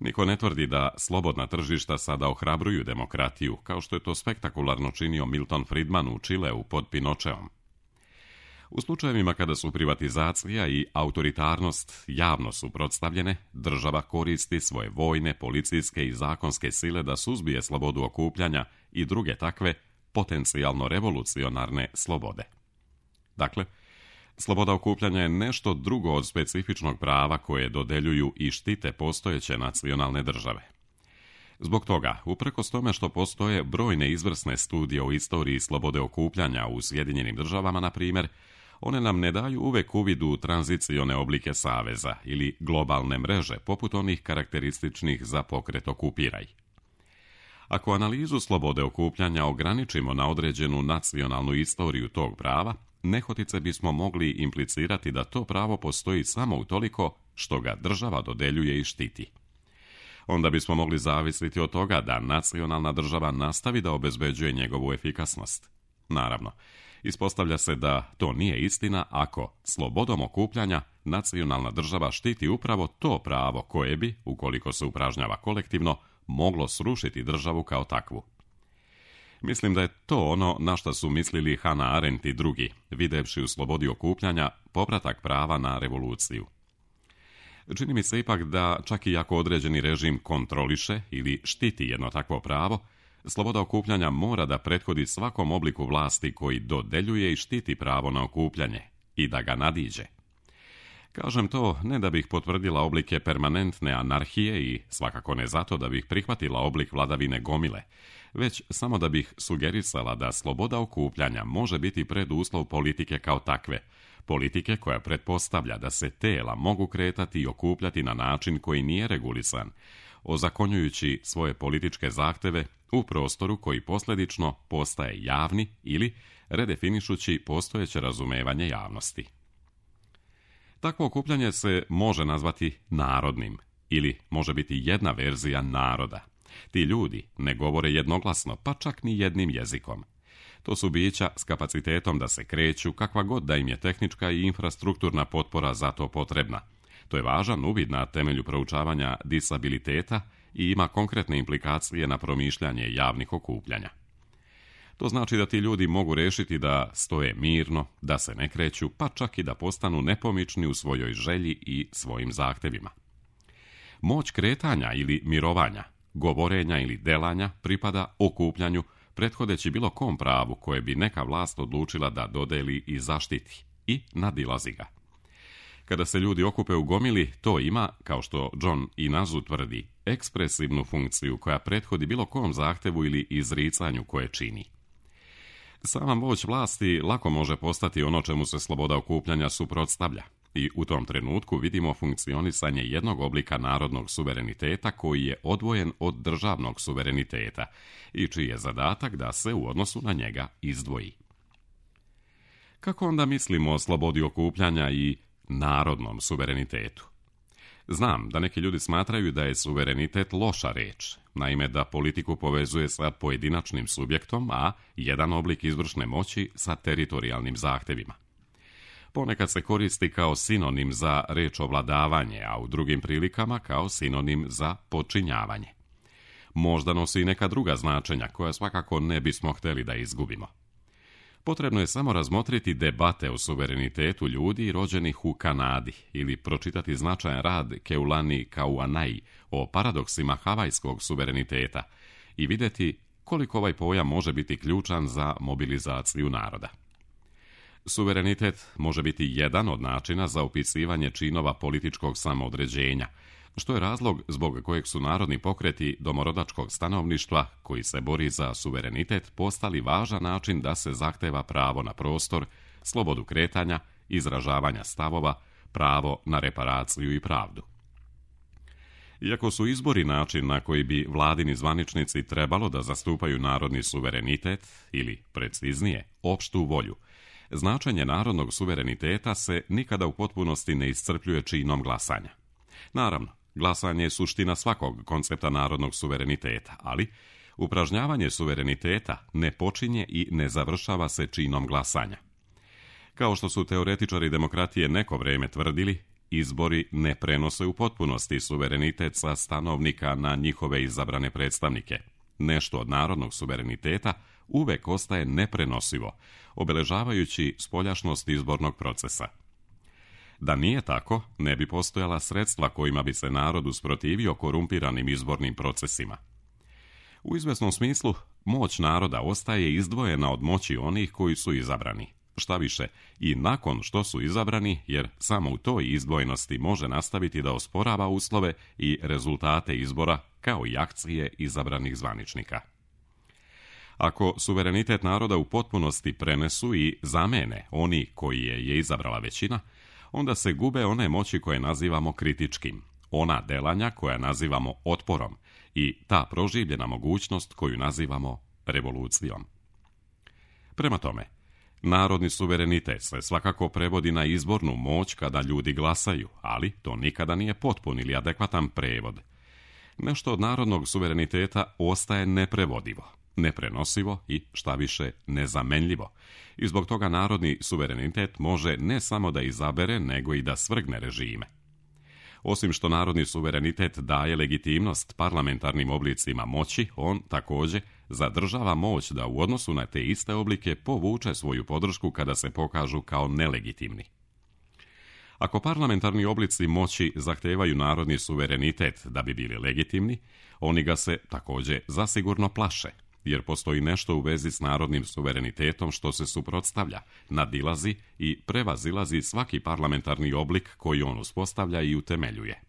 Niko ne tvrdi da slobodna tržišta sada ohrabruju demokratiju, kao što je to spektakularno činio Milton Friedman u Čileu pod Pinocheom. U slučajevima kada su privatizacija i autoritarnost javno suprotstavljene, država koristi svoje vojne, policijske i zakonske sile da suzbije slobodu okupljanja i druge takve potencijalno revolucionarne slobode. Dakle, sloboda okupljanja je nešto drugo od specifičnog prava koje dodeljuju i štite postojeće nacionalne države. Zbog toga, uprkos tome što postoje brojne izvrsne studije o istoriji slobode okupljanja u Sjedinjenim državama, na primjer, one nam ne daju uvek uvid u tranzicione oblike saveza ili globalne mreže, poput onih karakterističnih za pokret Okupiraj. Ako analizu slobode okupljanja ograničimo na određenu nacionalnu istoriju tog prava, nehotice bismo mogli implicirati da to pravo postoji samo utoliko što ga država dodeljuje i štiti. Onda bismo mogli zavisiti od toga da nacionalna država nastavi da obezbeđuje njegovu efikasnost. Naravno, ispostavlja se da to nije istina ako slobodom okupljanja nacionalna država štiti upravo to pravo koje bi, ukoliko se upražnjava kolektivno, moglo srušiti državu kao takvu. Mislim da je to ono na što su mislili Hannah Arendt i drugi, videvši u slobodi okupljanja povratak prava na revoluciju. Čini mi se ipak da čak i ako određeni režim kontroliše ili štiti jedno takvo pravo, sloboda okupljanja mora da prethodi svakom obliku vlasti koji dodeljuje i štiti pravo na okupljanje i da ga nadiđe. Kažem to ne da bih potvrdila oblike permanentne anarhije i svakako ne zato da bih prihvatila oblik vladavine gomile, već samo da bih sugerisala da sloboda okupljanja može biti preduslov politike kao takve, politike koja pretpostavlja da se tela mogu kretati i okupljati na način koji nije regulisan, ozakonjujući svoje političke zahteve u prostoru koji posljedično postaje javni ili redefinišući postojeće razumevanje javnosti. Takvo okupljanje se može nazvati narodnim ili može biti jedna verzija naroda. Ti ljudi ne govore jednoglasno, pa čak ni jednim jezikom. To su bića s kapacitetom da se kreću, kakva god da im je tehnička i infrastrukturna potpora za to potrebna. To je važan uvid na temelju proučavanja disabiliteta i ima konkretne implikacije na promišljanje javnih okupljanja. To znači da ti ljudi mogu rešiti da stoje mirno, da se ne kreću, pa čak i da postanu nepomični u svojoj želji i svojim zahtevima. Moć kretanja ili mirovanja, govorenja ili delanja pripada okupljanju, prethodeći bilo kom pravu koje bi neka vlast odlučila da dodeli i zaštiti, i nadilazi ga. Kada se ljudi okupe u gomili, to ima, kao što John Inazu tvrdi, ekspresivnu funkciju koja prethodi bilo kom zahtevu ili izricanju koje čini. Sama moć vlasti lako može postati ono čemu se sloboda okupljanja suprotstavlja i u tom trenutku vidimo funkcionisanje jednog oblika narodnog suvereniteta koji je odvojen od državnog suvereniteta i čiji je zadatak da se u odnosu na njega izdvoji. Kako onda mislimo o slobodi okupljanja i narodnom suverenitetu? Znam da neki ljudi smatraju da je suverenitet loša reč, naime da politiku povezuje sa pojedinačnim subjektom, a jedan oblik izvršne moći sa teritorijalnim zahtevima. Ponekad se koristi kao sinonim za reč ovladavanje, a u drugim prilikama kao sinonim za podčinjavanje. Možda nosi i neka druga značenja koja svakako ne bismo htjeli da izgubimo. Potrebno je samo razmotriti debate o suverenitetu ljudi rođenih u Kanadi ili pročitati značajan rad Keulani Kauanai o paradoksima havajskog suvereniteta i vidjeti koliko ovaj pojam može biti ključan za mobilizaciju naroda. Suverenitet može biti jedan od načina za opisivanje činova političkog samoodređenja, što je razlog zbog kojeg su narodni pokreti domorodačkog stanovništva, koji se bori za suverenitet, postali važan način da se zahteva pravo na prostor, slobodu kretanja, izražavanja stavova, pravo na reparaciju i pravdu. Iako su izbori način na koji bi vladini zvaničnici trebalo da zastupaju narodni suverenitet, ili, preciznije, opštu volju, značenje narodnog suvereniteta se nikada u potpunosti ne iscrpljuje činom glasanja. Naravno, glasanje je suština svakog koncepta narodnog suvereniteta, ali upražnjavanje suvereniteta ne počinje i ne završava se činom glasanja. Kao što su teoretičari demokratije neko vrijeme tvrdili, izbori ne prenose u potpunosti suverenitet sa stanovnika na njihove izabrane predstavnike. Nešto od narodnog suvereniteta uvek ostaje neprenosivo, obeležavajući spoljašnost izbornog procesa. Da nije tako, ne bi postojala sredstva kojima bi se narod usprotivio korumpiranim izbornim procesima. U izvesnom smislu, moć naroda ostaje izdvojena od moći onih koji su izabrani. Šta više, i nakon što su izabrani, jer samo u toj izdvojenosti može nastaviti da osporava uslove i rezultate izbora kao i akcije izabranih zvaničnika. Ako suverenitet naroda u potpunosti prenesu i zamene oni koji je, je izabrala većina, onda se gube one moći koje nazivamo kritičkim, ona delanja koja nazivamo otporom i ta proživljena mogućnost koju nazivamo revolucijom. Prema tome, narodni suverenitet se svakako prevodi na izbornu moć kada ljudi glasaju, ali to nikada nije potpun ili adekvatan prevod. Nešto od narodnog suvereniteta ostaje neprevodivo, neprenosivo i, šta više, nezamenljivo. I zbog toga narodni suverenitet može ne samo da izabere, nego i da svrgne režime. Osim što narodni suverenitet daje legitimnost parlamentarnim oblicima moći, on također zadržava moć da u odnosu na te iste oblike povuče svoju podršku kada se pokažu kao nelegitimni. Ako parlamentarni oblici moći zahtevaju narodni suverenitet da bi bili legitimni, oni ga se također zasigurno plaše, jer postoji nešto u vezi s narodnim suverenitetom što se suprotstavlja, nadilazi i prevazilazi svaki parlamentarni oblik koji on uspostavlja i utemeljuje.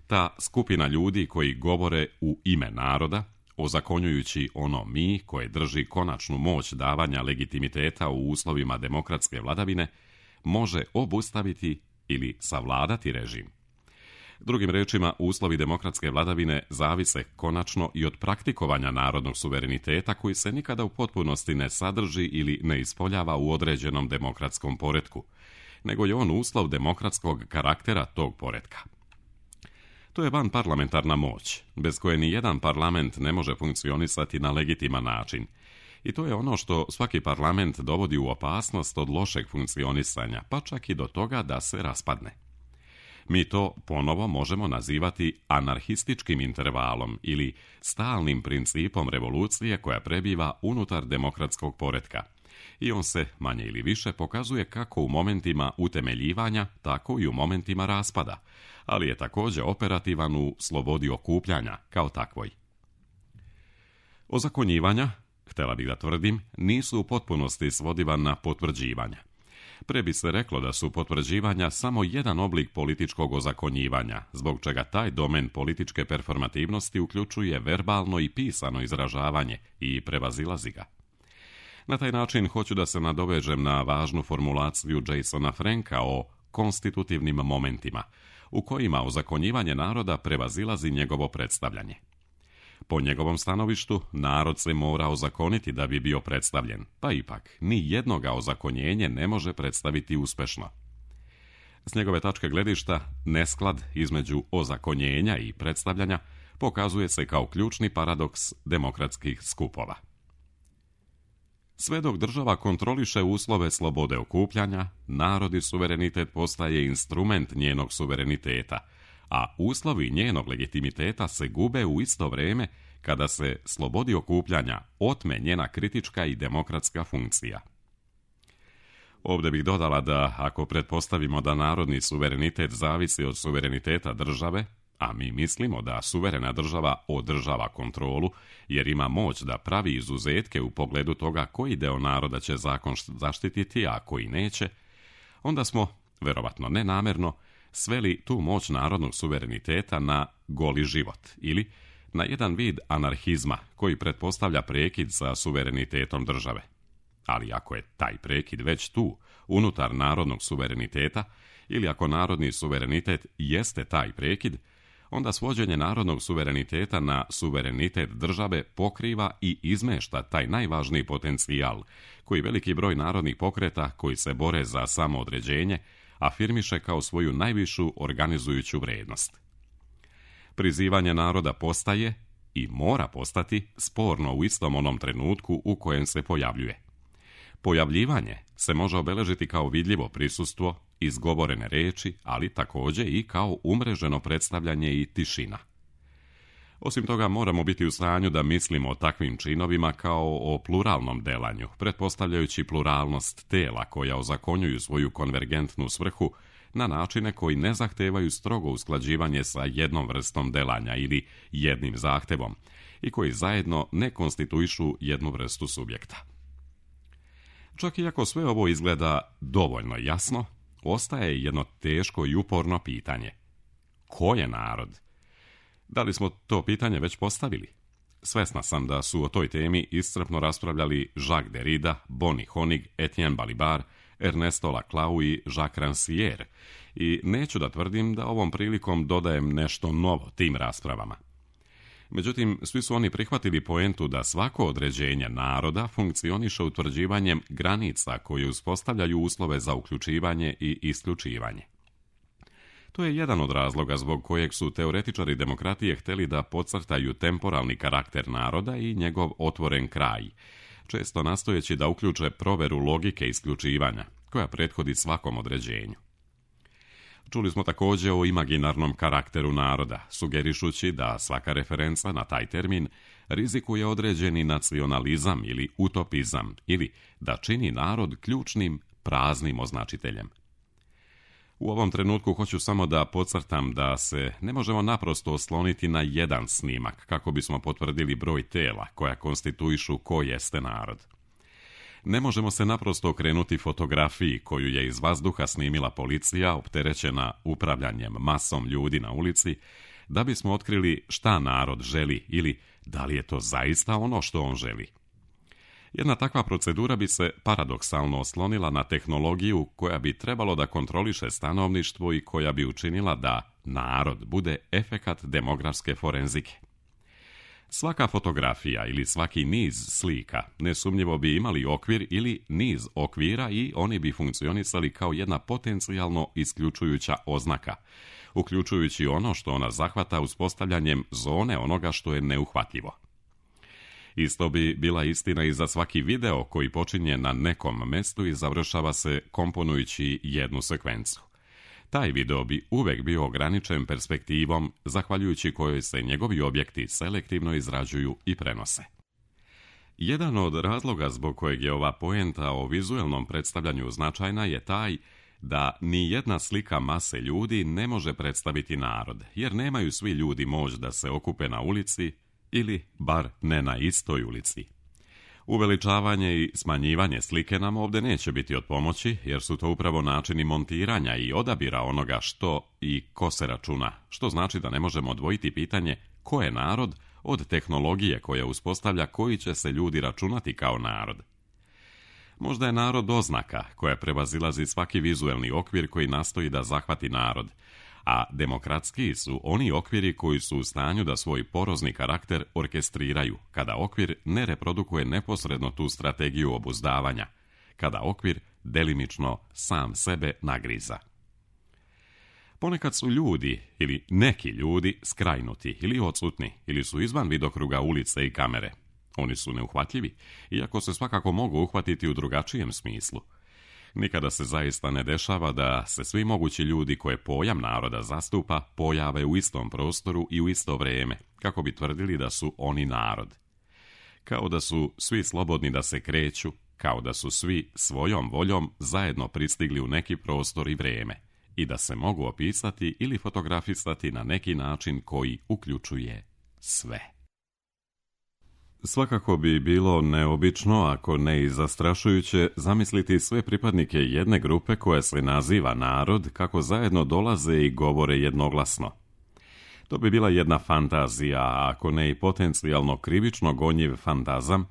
Ta skupina ljudi koji govore u ime naroda, ozakonjujući ono mi koje drži konačnu moć davanja legitimiteta u uslovima demokratske vladavine, može obustaviti ili savladati režim. Drugim rečima, uslovi demokratske vladavine zavise konačno i od praktikovanja narodnog suvereniteta koji se nikada u potpunosti ne sadrži ili ne ispoljava u određenom demokratskom poretku, nego je on uslov demokratskog karaktera tog poretka. To je vanparlamentarna moć, bez koje ni jedan parlament ne može funkcionisati na legitiman način. I to je ono što svaki parlament dovodi u opasnost od lošeg funkcionisanja, pa čak i do toga da se raspadne. Mi to ponovo možemo nazivati anarhističkim intervalom ili stalnim principom revolucije koja prebiva unutar demokratskog poretka. I on se, manje ili više, pokazuje kako u momentima utemeljivanja, tako i u momentima raspada, ali je također operativan u slobodi okupljanja kao takvoj. Ozakonjivanja, htjela bih da tvrdim, nisu u potpunosti svodiva na potvrđivanja. Pre bi se reklo da su potvrđivanja samo jedan oblik političkog ozakonjivanja, zbog čega taj domen političke performativnosti uključuje verbalno i pisano izražavanje i prevazilazi ga. Na taj način hoću da se nadovežem na važnu formulaciju Jasona Franka o konstitutivnim momentima, u kojima ozakonjivanje naroda prevazilazi njegovo predstavljanje. Po njegovom stanovištu, narod se mora ozakoniti da bi bio predstavljen, pa ipak ni jednoga ozakonjenje ne može predstaviti uspešno. S njegove tačke gledišta, nesklad između ozakonjenja i predstavljanja pokazuje se kao ključni paradoks demokratskih skupova. Sve dok država kontroliše uslove slobode okupljanja, narodni suverenitet postaje instrument njenog suvereniteta, a uslovi njenog legitimiteta se gube u isto vrijeme kada se slobodi okupljanja otme njena kritička i demokratska funkcija. Ovdje bih dodala da ako pretpostavimo da narodni suverenitet zavisi od suvereniteta države, a mi mislimo da suverena država održava kontrolu jer ima moć da pravi izuzetke u pogledu toga koji deo naroda će zakon zaštititi, a koji neće, onda smo, verovatno nenamjerno, sveli tu moć narodnog suvereniteta na goli život ili na jedan vid anarhizma koji pretpostavlja prekid sa suverenitetom države. Ali ako je taj prekid već tu, unutar narodnog suvereniteta, ili ako narodni suverenitet jeste taj prekid, onda svođenje narodnog suvereniteta na suverenitet države pokriva i izmešta taj najvažniji potencijal koji veliki broj narodnih pokreta koji se bore za samoodređenje afirmiše kao svoju najvišu organizujuću vrednost. Prizivanje naroda postaje i mora postati sporno u istom onom trenutku u kojem se pojavljuje. Pojavljivanje se može obeležiti kao vidljivo prisustvo, izgovorene reči, ali također i kao umreženo predstavljanje i tišina. Osim toga, moramo biti u stanju da mislimo o takvim činovima kao o pluralnom delanju, pretpostavljajući pluralnost tela koja ozakonjuju svoju konvergentnu svrhu na načine koji ne zahtevaju strogo usklađivanje sa jednom vrstom delanja ili jednim zahtevom i koji zajedno ne konstituišu jednu vrstu subjekta. Čak i ako sve ovo izgleda dovoljno jasno, ostaje jedno teško i uporno pitanje. Ko je narod? Da li smo to pitanje već postavili? Svesna sam da su o toj temi iscrpno raspravljali Jacques Derrida, Bonnie Honig, Etienne Balibar, Ernesto Laclau i Jacques Rancière i neću da tvrdim da ovom prilikom dodajem nešto novo tim raspravama. Međutim, svi su oni prihvatili poentu da svako određenje naroda funkcioniše utvrđivanjem granica koje uspostavljaju uslove za uključivanje i isključivanje. To je jedan od razloga zbog kojeg su teoretičari demokratije htjeli da podcrtaju temporalni karakter naroda i njegov otvoren kraj, često nastojeći da uključe proveru logike isključivanja, koja prethodi svakom određenju. Čuli smo također o imaginarnom karakteru naroda, sugerišući da svaka referenca na taj termin rizikuje određeni nacionalizam ili utopizam, ili da čini narod ključnim, praznim označiteljem. U ovom trenutku hoću samo da podcrtam da se ne možemo naprosto osloniti na jedan snimak kako bismo potvrdili broj tela koja konstituišu ko jeste narod. Ne možemo se naprosto okrenuti fotografiji koju je iz vazduha snimila policija opterećena upravljanjem masom ljudi na ulici, da bismo otkrili šta narod želi ili da li je to zaista ono što on želi. Jedna takva procedura bi se paradoksalno oslonila na tehnologiju koja bi trebalo da kontroliše stanovništvo i koja bi učinila da narod bude efekat demografske forenzike. Svaka fotografija ili svaki niz slika nesumnjivo bi imali okvir ili niz okvira i oni bi funkcionisali kao jedna potencijalno isključujuća oznaka, uključujući ono što ona zahvata uspostavljanjem zone onoga što je neuhvatljivo. Isto bi bila istina i za svaki video koji počinje na nekom mestu i završava se komponujući jednu sekvencu. Taj video bi uvek bio ograničen perspektivom, zahvaljujući kojoj se njegovi objekti selektivno izrađuju i prenose. Jedan od razloga zbog kojeg je ova poenta o vizuelnom predstavljanju značajna je taj da ni jedna slika mase ljudi ne može predstaviti narod, jer nemaju svi ljudi moć da se okupe na ulici ili bar ne na istoj ulici. Uveličavanje i smanjivanje slike nam ovdje neće biti od pomoći, jer su to upravo načini montiranja i odabira onoga što i ko se računa, što znači da ne možemo odvojiti pitanje ko je narod od tehnologije koja uspostavlja koji će se ljudi računati kao narod. Možda je narod oznaka koja prevazilazi svaki vizuelni okvir koji nastoji da zahvati narod, a demokratski su oni okviri koji su u stanju da svoj porozni karakter orkestriraju, kada okvir ne reprodukuje neposredno tu strategiju obuzdavanja, kada okvir delimično sam sebe nagriza. Ponekad su ljudi, ili neki ljudi, skrajnuti ili odsutni, ili su izvan vidokruga ulice i kamere. Oni su neuhvatljivi, iako se svakako mogu uhvatiti u drugačijem smislu. Nikada se zaista ne dešava da se svi mogući ljudi koje pojam naroda zastupa pojave u istom prostoru i u isto vrijeme, kako bi tvrdili da su oni narod. Kao da su svi slobodni da se kreću, kao da su svi svojom voljom zajedno pristigli u neki prostor i vrijeme i da se mogu opisati ili fotografisati na neki način koji uključuje sve. Svakako bi bilo neobično, ako ne i zastrašujuće, zamisliti sve pripadnike jedne grupe koja se naziva narod kako zajedno dolaze i govore jednoglasno. To bi bila jedna fantazija, ako ne i potencijalno krivično gonjiv fantazam,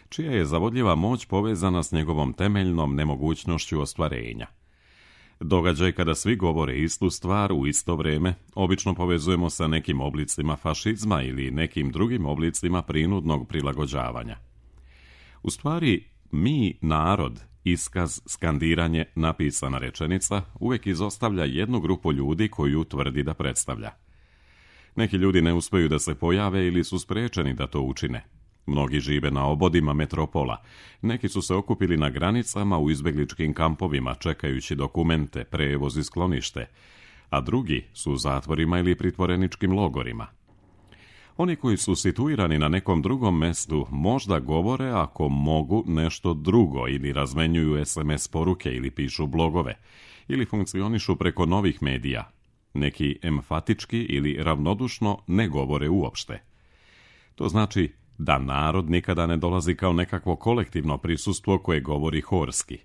čija je zavodljiva moć povezana s njegovom temeljnom nemogućnošću ostvarenja. Događaj kada svi govore istu stvar u isto vrijeme obično povezujemo sa nekim oblicima fašizma ili nekim drugim oblicima prinudnog prilagođavanja. U stvari, mi, narod, iskaz, skandiranje, napisana rečenica, uvijek izostavlja jednu grupu ljudi koju tvrdi da predstavlja. Neki ljudi ne uspiju da se pojave ili su sprečeni da to učine. Mnogi žive na obodima metropola, neki su se okupili na granicama u izbjegličkim kampovima čekajući dokumente, prevoz i sklonište, a drugi su u zatvorima ili pritvoreničkim logorima. Oni koji su situirani na nekom drugom mestu možda govore, ako mogu, nešto drugo ili razmenjuju es em es poruke ili pišu blogove ili funkcionišu preko novih medija. Neki emfatički ili ravnodušno ne govore uopšte. To znači da narod nikada ne dolazi kao nekakvo kolektivno prisustvo koje govori horski.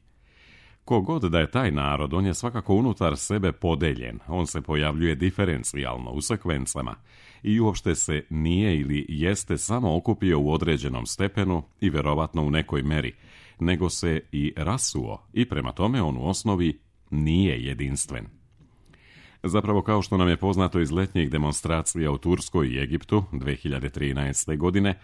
Kogod da je taj narod, on je svakako unutar sebe podeljen, on se pojavljuje diferencijalno, u sekvencama, i uopšte se nije ili jeste samo okupio u određenom stepenu i verovatno u nekoj meri, nego se i rasuo i prema tome on u osnovi nije jedinstven. Zapravo, kao što nam je poznato iz letnjih demonstracija u Turskoj i Egiptu dve hiljade trinaeste. godine,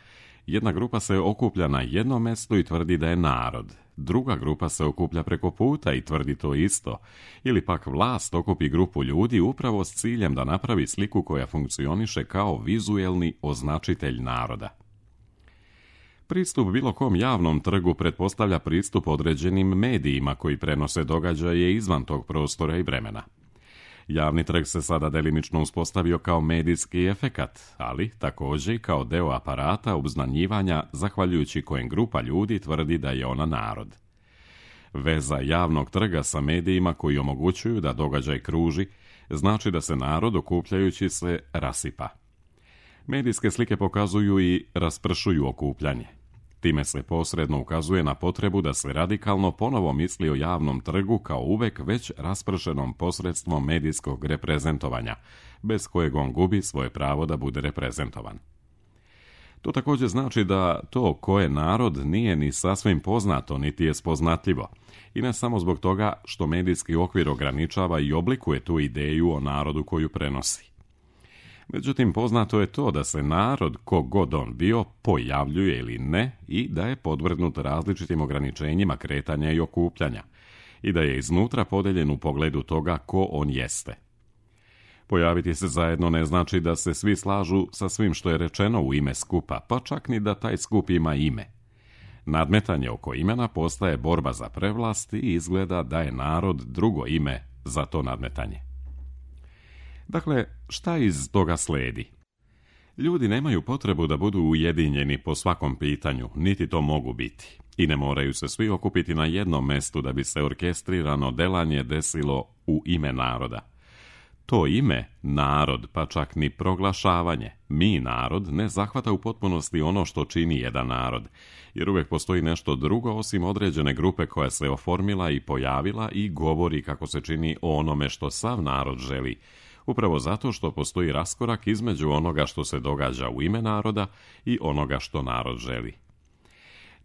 jedna grupa se okuplja na jednom mjestu i tvrdi da je narod. Druga grupa se okuplja preko puta i tvrdi to isto. Ili pak vlast okupi grupu ljudi upravo s ciljem da napravi sliku koja funkcioniše kao vizuelni označitelj naroda. Pristup bilo kom javnom trgu pretpostavlja pristup određenim medijima koji prenose događaje izvan tog prostora i vremena. Javni trg se sada delimično uspostavio kao medijski efekat, ali također i kao deo aparata obznanjivanja zahvaljujući kojem grupa ljudi tvrdi da je ona narod. Veza javnog trga sa medijima koji omogućuju da događaj kruži znači da se narod okupljajući se rasipa. Medijske slike pokazuju i raspršuju okupljanje. Time se posredno ukazuje na potrebu da se radikalno ponovo misli o javnom trgu kao uvek već raspršenom posredstvom medijskog reprezentovanja, bez kojeg on gubi svoje pravo da bude reprezentovan. To također znači da to ko je narod nije ni sasvim poznato, niti je spoznatljivo, i ne samo zbog toga što medijski okvir ograničava i oblikuje tu ideju o narodu koju prenosi. Međutim, poznato je to da se narod, kogod on bio, pojavljuje ili ne i da je podvrgnut različitim ograničenjima kretanja i okupljanja i da je iznutra podeljen u pogledu toga ko on jeste. Pojaviti se zajedno ne znači da se svi slažu sa svim što je rečeno u ime skupa, pa čak ni da taj skup ima ime. Nadmetanje oko imena postaje borba za prevlast i izgleda da je narod drugo ime za to nadmetanje. Dakle, šta iz toga sledi? Ljudi nemaju potrebu da budu ujedinjeni po svakom pitanju, niti to mogu biti. I ne moraju se svi okupiti na jednom mestu da bi se orkestrirano delanje desilo u ime naroda. To ime, narod, pa čak ni proglašavanje, mi narod, ne zahvata u potpunosti ono što čini jedan narod, jer uvijek postoji nešto drugo osim određene grupe koja se oformila i pojavila i govori kako se čini o onome što sav narod želi, upravo zato što postoji raskorak između onoga što se događa u ime naroda i onoga što narod želi.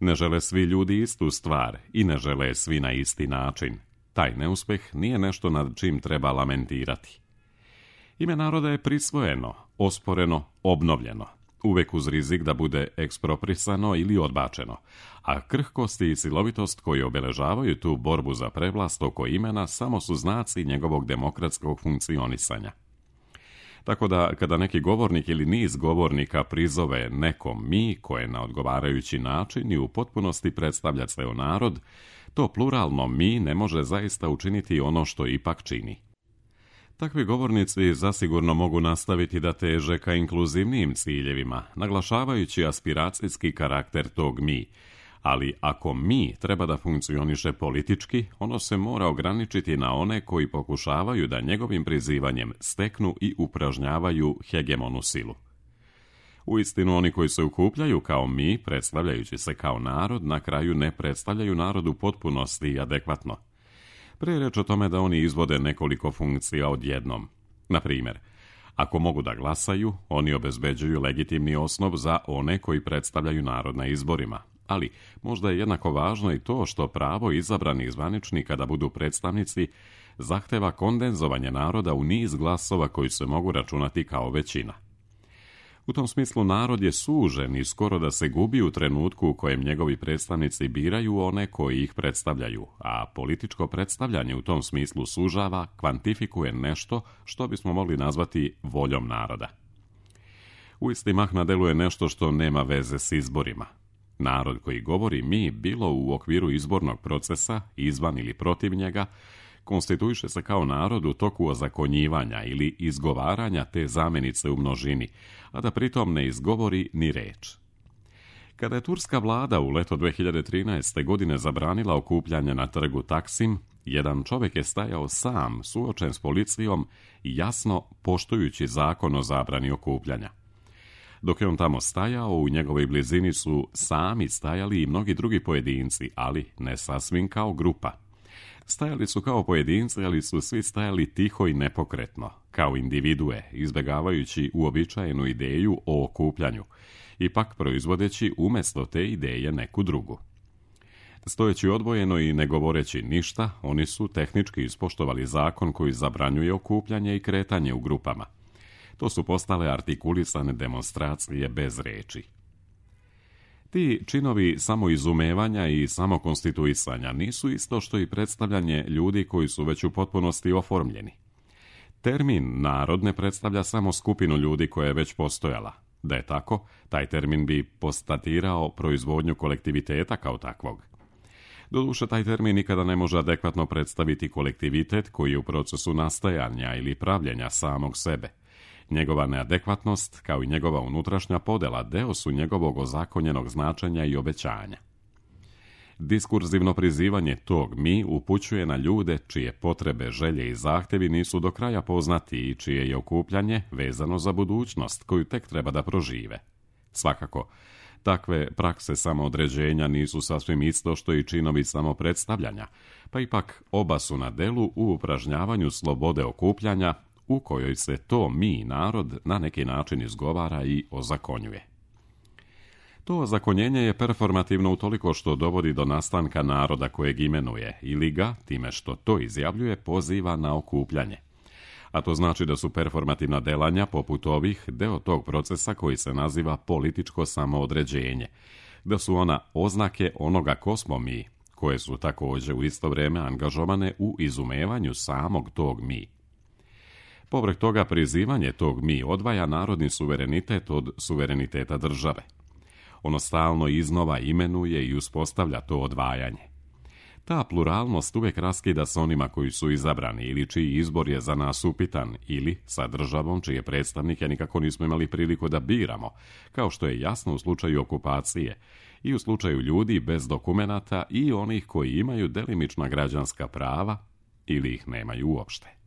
Ne žele svi ljudi istu stvar i ne žele svi na isti način. Taj neuspeh nije nešto nad čim treba lamentirati. Ime naroda je prisvojeno, osporeno, obnovljeno, uvek uz rizik da bude eksproprisano ili odbačeno, a krhkosti i silovitost koji obeležavaju tu borbu za prevlast oko imena samo su znaci njegovog demokratskog funkcionisanja. Tako da, kada neki govornik ili niz govornika prizove nekom mi, koje na odgovarajući način i u potpunosti predstavlja ceo narod, to pluralno mi ne može zaista učiniti ono što ipak čini. Takvi govornici zasigurno mogu nastaviti da teže ka inkluzivnijim ciljevima, naglašavajući aspiracijski karakter tog mi, ali ako mi treba da funkcioniše politički, ono se mora ograničiti na one koji pokušavaju da njegovim prizivanjem steknu i upražnjavaju hegemonu silu. Uistinu, oni koji se ukupljaju kao mi, predstavljajući se kao narod, na kraju ne predstavljaju narod u potpunosti i adekvatno. Prije reč o tome da oni izvode nekoliko funkcija odjednom. Na primjer, ako mogu da glasaju, oni obezbeđuju legitimni osnov za one koji predstavljaju narod na izborima. Ali možda je jednako važno i to što pravo izabranih zvaničnika da budu predstavnici zahteva kondenzovanje naroda u niz glasova koji se mogu računati kao većina. U tom smislu narod je sužen i skoro da se gubi u trenutku u kojem njegovi predstavnici biraju one koji ih predstavljaju, a političko predstavljanje u tom smislu sužava, kvantifikuje nešto što bismo mogli nazvati voljom naroda. U isti mah nadeluje nešto što nema veze s izborima. Narod koji govori mi, bilo u okviru izbornog procesa, izvan ili protiv njega, konstituiše se kao narod u toku ozakonjivanja ili izgovaranja te zamjenice u množini, a da pritom ne izgovori ni reč. Kada je turska vlada u leto dve hiljade trinaeste. godine zabranila okupljanje na trgu Taksim, jedan čovjek je stajao sam, suočen s policijom i jasno poštujući zakon o zabrani okupljanja. Dok je on tamo stajao, u njegovoj blizini su sami stajali i mnogi drugi pojedinci, ali ne sasvim kao grupa. Stajali su kao pojedinci, ali su svi stajali tiho i nepokretno, kao individue, izbjegavajući uobičajenu ideju o okupljanju, ipak proizvodeći umjesto te ideje neku drugu. Stojeći odvojeno i ne govoreći ništa, oni su tehnički ispoštovali zakon koji zabranjuje okupljanje i kretanje u grupama. To su postale artikulisane demonstracije bez reči. Ti činovi samoizumevanja i samokonstituisanja nisu isto što i predstavljanje ljudi koji su već u potpunosti oformljeni. Termin narod ne predstavlja samo skupinu ljudi koja je već postojala. Da je tako, taj termin bi postatirao proizvodnju kolektiviteta kao takvog. Doduše, taj termin nikada ne može adekvatno predstaviti kolektivitet koji je u procesu nastajanja ili pravljenja samog sebe. Njegova neadekvatnost, kao i njegova unutrašnja podela, deo su njegovog ozakonjenog značenja i obećanja. Diskurzivno prizivanje tog mi upućuje na ljude čije potrebe, želje i zahtjevi nisu do kraja poznati i čije je okupljanje vezano za budućnost koju tek treba da prožive. Svakako, takve prakse samoodređenja nisu sasvim isto što i činovi samopredstavljanja, pa ipak oba su na delu u upražnjavanju slobode okupljanja, u kojoj se to mi, narod, na neki način izgovara i ozakonjuje. To ozakonjenje je performativno utoliko što dovodi do nastanka naroda kojeg imenuje ili ga, time što to izjavljuje, poziva na okupljanje. A to znači da su performativna delanja, poput ovih, deo tog procesa koji se naziva političko samoodređenje, da su ona oznake onoga ko smo mi, koje su također u isto vrijeme angažovane u izumevanju samog tog mi. Povrh toga, prizivanje tog mi odvaja narodni suverenitet od suvereniteta države. Ono stalno iznova imenuje i uspostavlja to odvajanje. Ta pluralnost uvijek raskida s onima koji su izabrani ili čiji izbor je za nas upitan ili sa državom čije predstavnike nikako nismo imali priliku da biramo, kao što je jasno u slučaju okupacije i u slučaju ljudi bez dokumenata i onih koji imaju delimična građanska prava ili ih nemaju uopšte.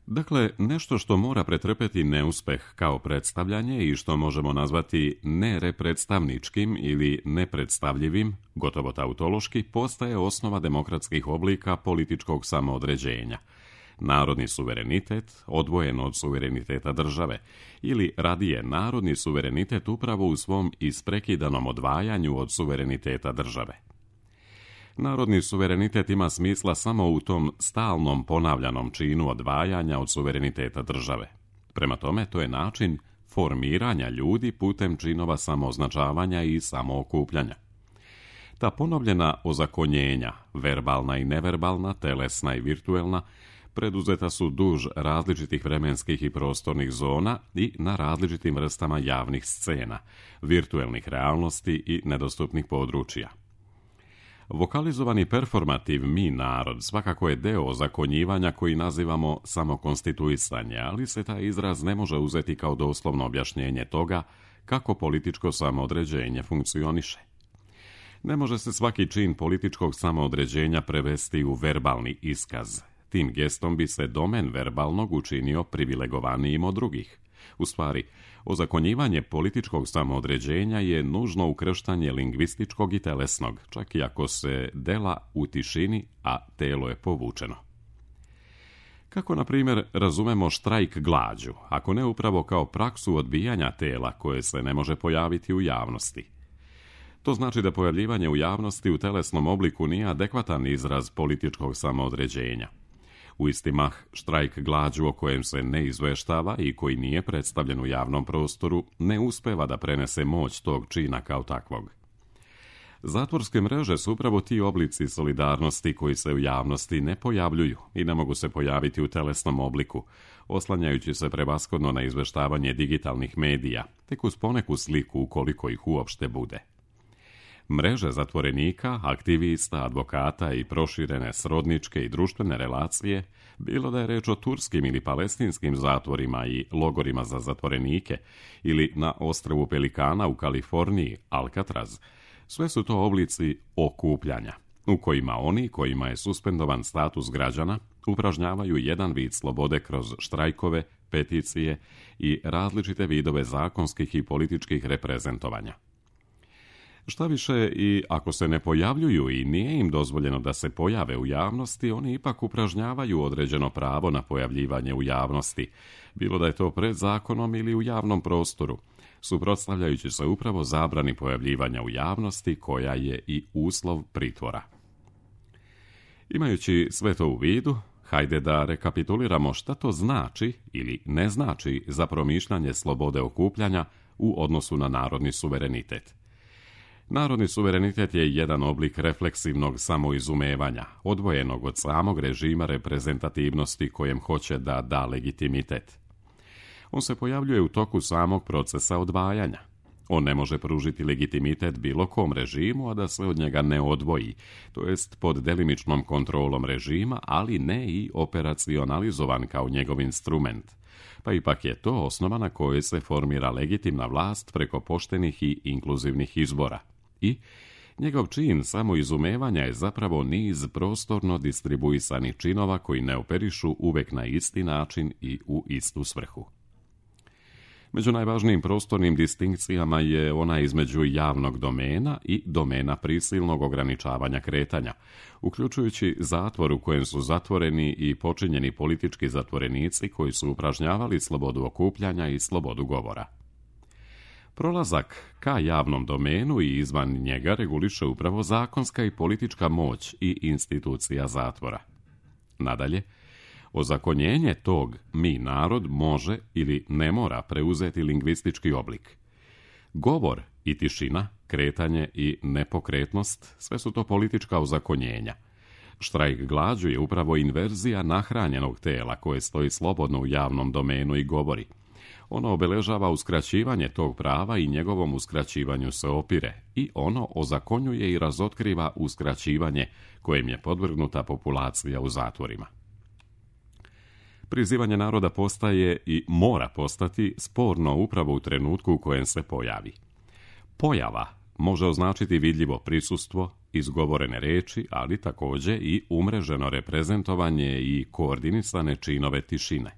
Dakle, nešto što mora pretrpeti neuspeh kao predstavljanje i što možemo nazvati nerepredstavničkim ili nepredstavljivim, gotovo tautološki, postaje osnova demokratskih oblika političkog samoodređenja. Narodni suverenitet, odvojen od suvereniteta države, ili radije narodni suverenitet upravo u svom isprekidanom odvajanju od suvereniteta države. Narodni suverenitet ima smisla samo u tom stalnom ponavljanom činu odvajanja od suvereniteta države. Prema tome, to je način formiranja ljudi putem činova samooznačavanja i samookupljanja. Ta ponovljena ozakonjenja, verbalna i neverbalna, telesna i virtuelna, preduzeta su duž različitih vremenskih i prostornih zona i na različitim vrstama javnih scena, virtuelnih realnosti i nedostupnih područja. Vokalizovani performativ mi narod svakako je deo ozakonjivanja koji nazivamo samokonstituisanje, ali se taj izraz ne može uzeti kao doslovno objašnjenje toga kako političko samoodređenje funkcioniše. Ne može se svaki čin političkog samoodređenja prevesti u verbalni iskaz. Tim gestom bi se domen verbalnog učinio privilegovanijim od drugih. U stvari, ozakonjivanje političkog samoodređenja je nužno ukrštanje lingvističkog i telesnog, čak i ako se dela u tišini, a telo je povučeno. Kako, na primjer, razumemo štrajk glađu, ako ne upravo kao praksu odbijanja tela koje se ne može pojaviti u javnosti? To znači da pojavljivanje u javnosti u telesnom obliku nije adekvatan izraz političkog samoodređenja. U isti mah, štrajk glađu o kojem se ne izveštava i koji nije predstavljen u javnom prostoru ne uspeva da prenese moć tog čina kao takvog. Zatvorske mreže su upravo ti oblici solidarnosti koji se u javnosti ne pojavljuju i ne mogu se pojaviti u telesnom obliku, oslanjajući se prevashodno na izveštavanje digitalnih medija, tek uz poneku sliku ukoliko ih uopšte bude. Mreže zatvorenika, aktivista, advokata i proširene srodničke i društvene relacije, bilo da je reč o turskim ili palestinskim zatvorima i logorima za zatvorenike ili na ostrvu Pelikana u Kaliforniji, Alcatraz, sve su to oblici okupljanja, u kojima oni kojima je suspendovan status građana upražnjavaju jedan vid slobode kroz štrajkove, peticije i različite vidove zakonskih i političkih reprezentovanja. Šta više, i ako se ne pojavljuju i nije im dozvoljeno da se pojave u javnosti, oni ipak upražnjavaju određeno pravo na pojavljivanje u javnosti, bilo da je to pred zakonom ili u javnom prostoru, suprotstavljajući se upravo zabrani pojavljivanja u javnosti koja je i uslov pritvora. Imajući sve to u vidu, hajde da rekapituliramo šta to znači ili ne znači za promišljanje slobode okupljanja u odnosu na narodni suverenitet. Narodni suverenitet je jedan oblik refleksivnog samoizumevanja, odvojenog od samog režima reprezentativnosti kojem hoće da da legitimitet. On se pojavljuje u toku samog procesa odvajanja. On ne može pružiti legitimitet bilo kom režimu, a da se od njega ne odvoji, to jest pod delimičnom kontrolom režima, ali ne i operacionalizovan kao njegov instrument. Pa ipak je to osnova na kojoj se formira legitimna vlast preko poštenih i inkluzivnih izbora. I njegov čin samoizumevanja je zapravo niz prostorno distribuisanih činova koji ne operišu uvek na isti način i u istu svrhu. Među najvažnijim prostornim distinkcijama je ona između javnog domena i domena prisilnog ograničavanja kretanja, uključujući zatvor u kojem su zatvoreni i počinjeni politički zatvorenici koji su upražnjavali slobodu okupljanja i slobodu govora. Prolazak ka javnom domenu i izvan njega reguliše upravo zakonska i politička moć i institucija zatvora. Nadalje, ozakonjenje tog mi narod može ili ne mora preuzeti lingvistički oblik. Govor i tišina, kretanje i nepokretnost, sve su to politička ozakonjenja. Štrajk glađu je upravo inverzija nahranjenog tela koje stoji slobodno u javnom domenu i govori. Ono obeležava uskraćivanje tog prava i njegovom uskraćivanju se opire i ono ozakonjuje i razotkriva uskraćivanje kojem je podvrgnuta populacija u zatvorima. Prizivanje naroda postaje i mora postati sporno upravo u trenutku u kojem se pojavi. Pojava može označiti vidljivo prisustvo, izgovorene reči, ali također i umreženo reprezentovanje i koordinisane činove tišine.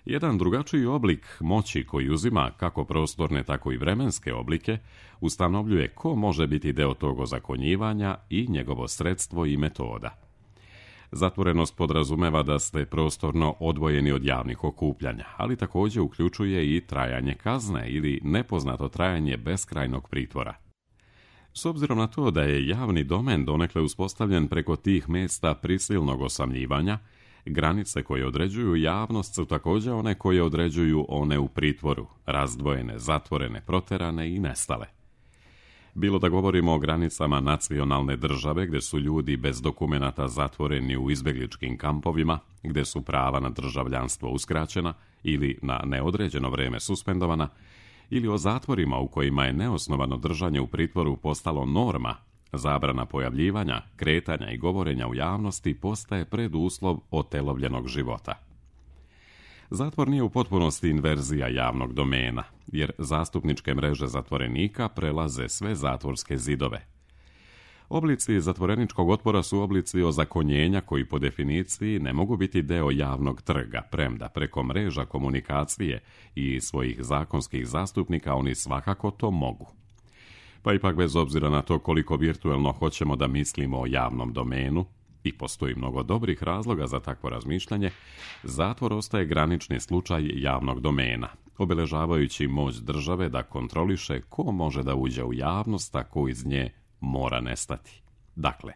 Jedan drugačiji oblik moći koji uzima kako prostorne, tako i vremenske oblike, ustanovljuje ko može biti deo tog ozakonjivanja i njegovo sredstvo i metoda. Zatvorenost podrazumeva da ste prostorno odvojeni od javnih okupljanja, ali također uključuje i trajanje kazne ili nepoznato trajanje beskrajnog pritvora. S obzirom na to da je javni domen donekle uspostavljen preko tih mjesta prisilnog osamljivanja, granice koje određuju javnost su također one koje određuju one u pritvoru, razdvojene, zatvorene, proterane i nestale. Bilo da govorimo o granicama nacionalne države gdje su ljudi bez dokumenata zatvoreni u izbjegličkim kampovima, gdje su prava na državljanstvo uskraćena ili na neodređeno vrijeme suspendovana, ili o zatvorima u kojima je neosnovano držanje u pritvoru postalo norma, zabrana pojavljivanja, kretanja i govorenja u javnosti postaje preduslov otelovljenog života. Zatvor nije u potpunosti inverzija javnog domena, jer zastupničke mreže zatvorenika prelaze sve zatvorske zidove. Oblici zatvoreničkog otpora su oblici ozakonjenja koji po definiciji ne mogu biti deo javnog trga, premda preko mreža komunikacije i svojih zakonskih zastupnika oni svakako to mogu. Pa ipak bez obzira na to koliko virtuelno hoćemo da mislimo o javnom domenu, i postoji mnogo dobrih razloga za takvo razmišljanje, zatvor ostaje granični slučaj javnog domena, obeležavajući moć države da kontroliše ko može da uđe u javnost, a ko iz nje mora nestati. Dakle,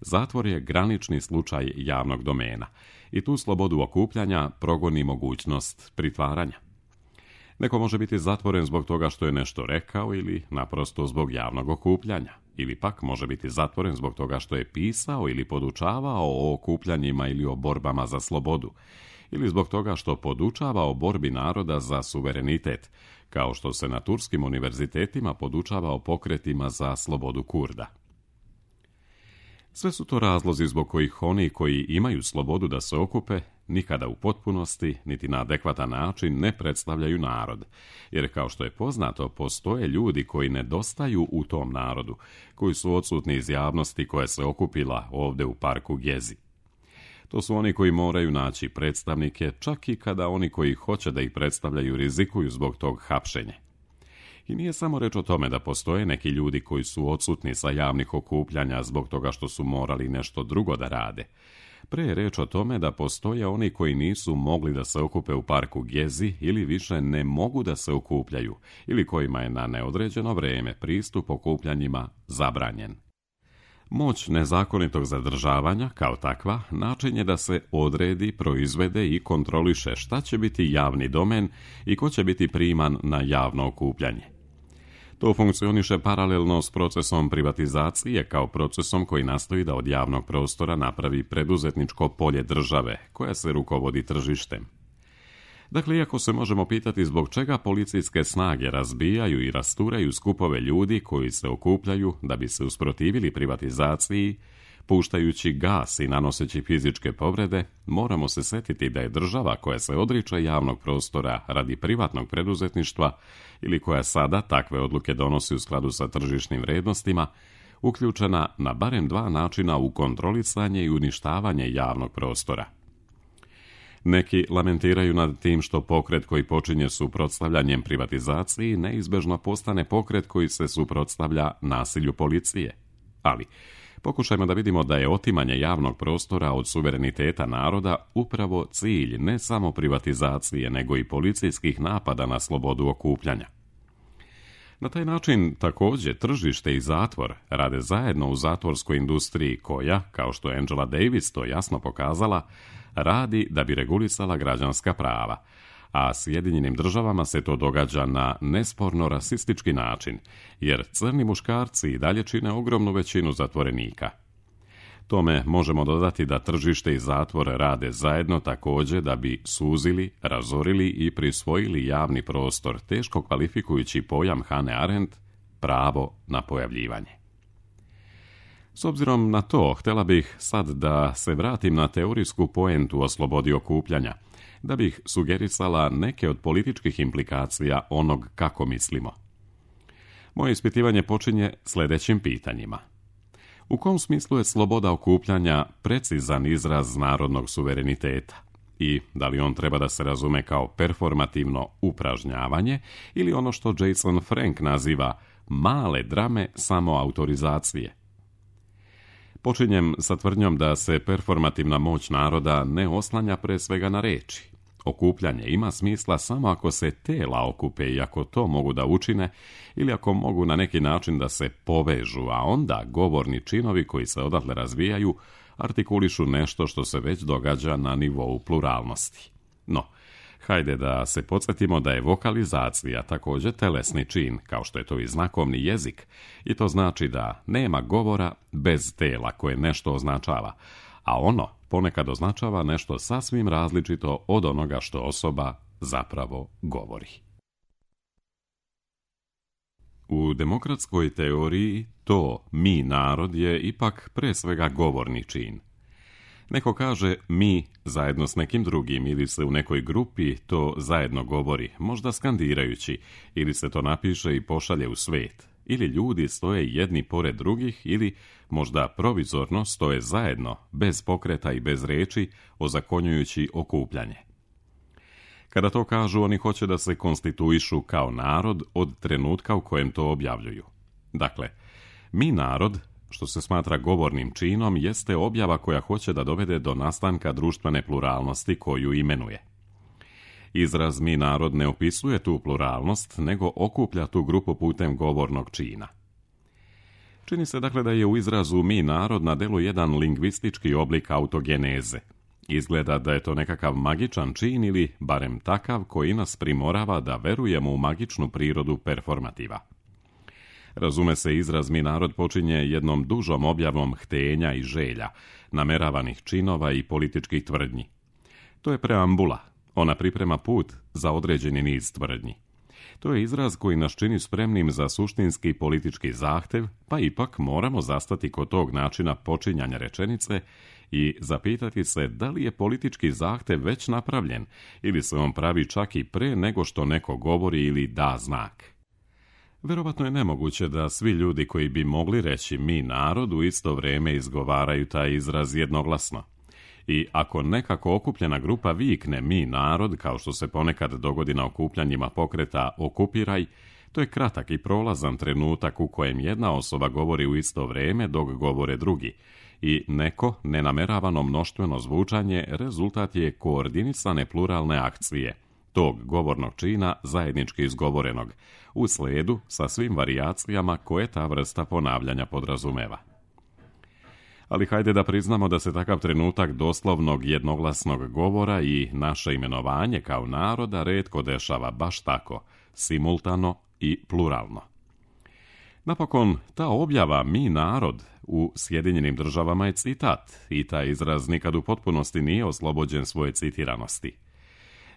zatvor je granični slučaj javnog domena i tu slobodu okupljanja progoni mogućnost pritvaranja. Neko može biti zatvoren zbog toga što je nešto rekao ili naprosto zbog javnog okupljanja, ili pak može biti zatvoren zbog toga što je pisao ili podučavao o okupljanjima ili o borbama za slobodu, ili zbog toga što podučava o borbi naroda za suverenitet, kao što se na turskim univerzitetima podučava o pokretima za slobodu Kurda. Sve su to razlozi zbog kojih oni koji imaju slobodu da se okupe nikada u potpunosti, niti na adekvatan način ne predstavljaju narod, jer kao što je poznato, postoje ljudi koji nedostaju u tom narodu, koji su odsutni iz javnosti koja se okupila ovdje u parku Gezi. To su oni koji moraju naći predstavnike, čak i kada oni koji hoće da ih predstavljaju rizikuju zbog tog hapšenja. I nije samo reč o tome da postoje neki ljudi koji su odsutni sa javnih okupljanja zbog toga što su morali nešto drugo da rade. Pre je reč o tome da postoje oni koji nisu mogli da se okupe u parku Gezi ili više ne mogu da se okupljaju ili kojima je na neodređeno vreme pristup okupljanjima zabranjen. Moć nezakonitog zadržavanja, kao takva, način je da se odredi, proizvede i kontroliše šta će biti javni domen i ko će biti priman na javno okupljanje. To funkcioniše paralelno s procesom privatizacije kao procesom koji nastoji da od javnog prostora napravi preduzetničko polje države, koja se rukovodi tržištem. Dakle, iako se možemo pitati zbog čega policijske snage razbijaju i rasturaju skupove ljudi koji se okupljaju da bi se usprotivili privatizaciji, puštajući gas i nanoseći fizičke povrede, moramo se setiti da je država koja se odriče javnog prostora radi privatnog preduzetništva ili koja sada takve odluke donosi u skladu sa tržišnim vrednostima, uključena na barem dva načina u kontrolisanje i uništavanje javnog prostora. Neki lamentiraju nad tim što pokret koji počinje suprotstavljanjem privatizaciji neizbežno postane pokret koji se suprotstavlja nasilju policije. Ali pokušajmo da vidimo da je otimanje javnog prostora od suvereniteta naroda upravo cilj ne samo privatizacije, nego i policijskih napada na slobodu okupljanja. Na taj način također tržište i zatvor rade zajedno u zatvorskoj industriji koja, kao što je Angela Davis to jasno pokazala, radi da bi regulisala građanska prava, a Sjedinjenim državama se to događa na nesporno rasistički način, jer crni muškarci i dalje čine ogromnu većinu zatvorenika. Tome možemo dodati da tržište i zatvor rade zajedno također da bi suzili, razorili i prisvojili javni prostor, teško kvalifikujući pojam Hannah Arendt, pravo na pojavljivanje. S obzirom na to, htjela bih sad da se vratim na teorijsku poentu o slobodi okupljanja, da bih sugerisala neke od političkih implikacija onog kako mislimo. Moje ispitivanje počinje sljedećim pitanjima. U kom smislu je sloboda okupljanja precizan izraz narodnog suvereniteta? I da li on treba da se razume kao performativno upražnjavanje ili ono što Jason Frank naziva male drame samoautorizacije? Počinjem sa tvrdnjom da se performativna moć naroda ne oslanja pre svega na reči. Okupljanje ima smisla samo ako se tela okupe i ako to mogu da učine ili ako mogu na neki način da se povežu, a onda govorni činovi koji se odatle razvijaju artikulišu nešto što se već događa na nivou pluralnosti. No, hajde da se podsjetimo da je vokalizacija također telesni čin, kao što je to i znakovni jezik, i to znači da nema govora bez tela koje nešto označava, a ono ponekad označava nešto sasvim različito od onoga što osoba zapravo govori. U demokratskoj teoriji to mi narod je ipak pre svega govorni čin. Neko kaže mi zajedno s nekim drugim ili se u nekoj grupi to zajedno govori, možda skandirajući, ili se to napiše i pošalje u svet, ili ljudi stoje jedni pored drugih ili možda provizorno stoje zajedno, bez pokreta i bez reči, ozakonjujući okupljanje. Kada to kažu, oni hoće da se konstituišu kao narod od trenutka u kojem to objavljuju. Dakle, mi narod, što se smatra govornim činom, jeste objava koja hoće da dovede do nastanka društvene pluralnosti koju imenuje. Izraz mi narod ne opisuje tu pluralnost, nego okuplja tu grupu putem govornog čina. Čini se dakle da je u izrazu mi narod na delu jedan lingvistički oblik autogeneze. Izgleda da je to nekakav magičan čin ili barem takav koji nas primorava da verujemo u magičnu prirodu performativa. Razume se, izraz mi narod počinje jednom dužom objavom htenja i želja, nameravanih činova i političkih tvrdnji. To je preambula. Ona priprema put za određeni niz tvrdnji. To je izraz koji nas čini spremnim za suštinski politički zahtev, pa ipak moramo zastati kod tog načina počinjanja rečenice i zapitati se da li je politički zahtev već napravljen ili se on pravi čak i pre nego što neko govori ili da znak. Verovatno je nemoguće da svi ljudi koji bi mogli reći mi narod u isto vrijeme izgovaraju taj izraz jednoglasno. I ako nekako okupljena grupa vikne mi narod, kao što se ponekad dogodi na okupljanjima pokreta Okupiraj, To je kratak i prolazan trenutak u kojem jedna osoba govori u isto vrijeme dok govore drugi i neko nenameravano mnoštveno zvučanje rezultat je koordinisane pluralne akcije tog govornog čina zajednički izgovorenog, u slijedu sa svim varijacijama koje ta vrsta ponavljanja podrazumeva. Ali hajde da priznamo da se takav trenutak doslovnog jednoglasnog govora i naše imenovanje kao naroda retko dešava baš tako, simultano i pluralno. Napokon, ta objava mi narod u Sjedinjenim državama je citat i taj izraz nikad u potpunosti nije oslobođen svoje citiranosti.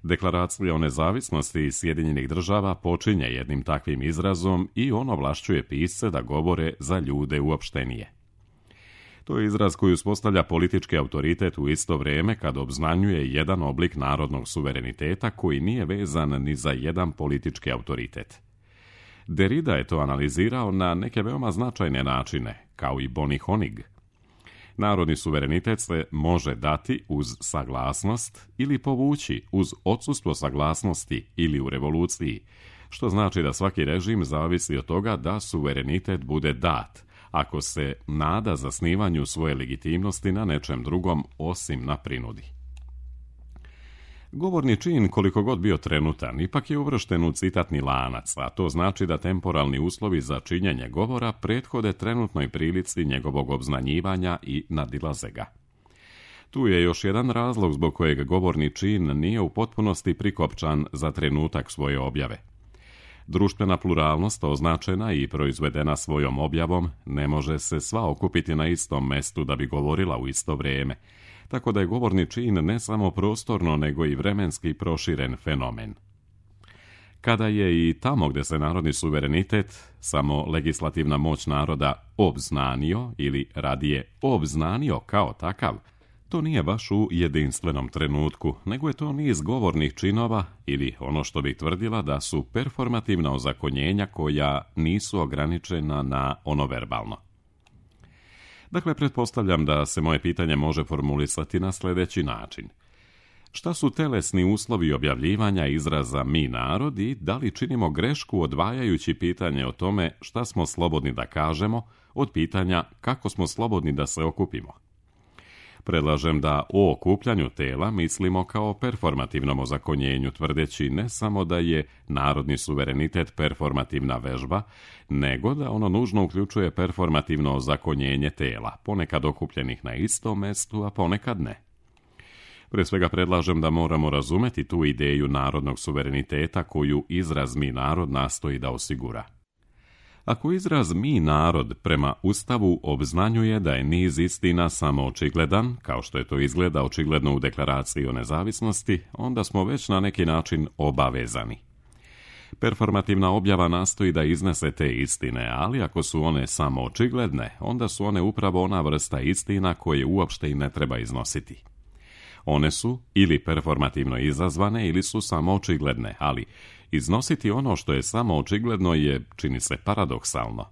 Deklaracija o nezavisnosti Sjedinjenih država počinje jednim takvim izrazom i on ovlašćuje pisce da govore za ljude uopštenije. To je izraz koji uspostavlja politički autoritet u isto vrijeme kad obznanjuje jedan oblik narodnog suvereniteta koji nije vezan ni za jedan politički autoritet. Derrida je to analizirao na neke veoma značajne načine, kao i Bonnie Honig. Narodni suverenitet se može dati uz saglasnost ili povući uz odsustvo saglasnosti ili u revoluciji, što znači da svaki režim zavisi od toga da suverenitet bude dat, ako se nada zasnivanju svoje legitimnosti na nečem drugom osim na prinudi. Govorni čin, koliko god bio trenutan, ipak je uvršten u citatni lanac, a to znači da temporalni uslovi za činjenje govora prethode trenutnoj prilici njegovog obznanjivanja i nadilaze ga. Tu je još jedan razlog zbog kojeg govorni čin nije u potpunosti prikopčan za trenutak svoje objave. Društvena pluralnost, označena i proizvedena svojom objavom, ne može se sva okupiti na istom mestu da bi govorila u isto vrijeme, tako da je govorni čin ne samo prostorno nego i vremenski proširen fenomen. Kada je i tamo gdje se narodni suverenitet, samo legislativna moć naroda, obznanio ili radije obznanio kao takav, to nije baš u jedinstvenom trenutku, nego je to niz govornih činova ili ono što bih tvrdila da su performativna ozakonjenja koja nisu ograničena na ono verbalno. Dakle, pretpostavljam da se moje pitanje može formulisati na sljedeći način. Šta su telesni uslovi objavljivanja izraza mi narod i da li činimo grešku odvajajući pitanje o tome šta smo slobodni da kažemo od pitanja kako smo slobodni da se okupimo? Predlažem da o okupljanju tela mislimo kao performativnom ozakonjenju, tvrdeći ne samo da je narodni suverenitet performativna vežba, nego da ono nužno uključuje performativno ozakonjenje tela, ponekad okupljenih na istom mestu, a ponekad ne. Pre svega predlažem da moramo razumeti tu ideju narodnog suvereniteta koju izraz mi narod nastoji da osigura. Ako izraz mi narod prema Ustavu obznanjuje da je niz istina samo očigledan, kao što je to izgleda očigledno u deklaraciji o nezavisnosti, onda smo već na neki način obavezani. Performativna objava nastoji da iznese te istine, ali ako su one samo očigledne, onda su one upravo ona vrsta istina koje uopšte i ne treba iznositi. One su ili performativno izazvane ili su samo očigledne, ali iznositi ono što je samo očigledno je, čini se, paradoksalno.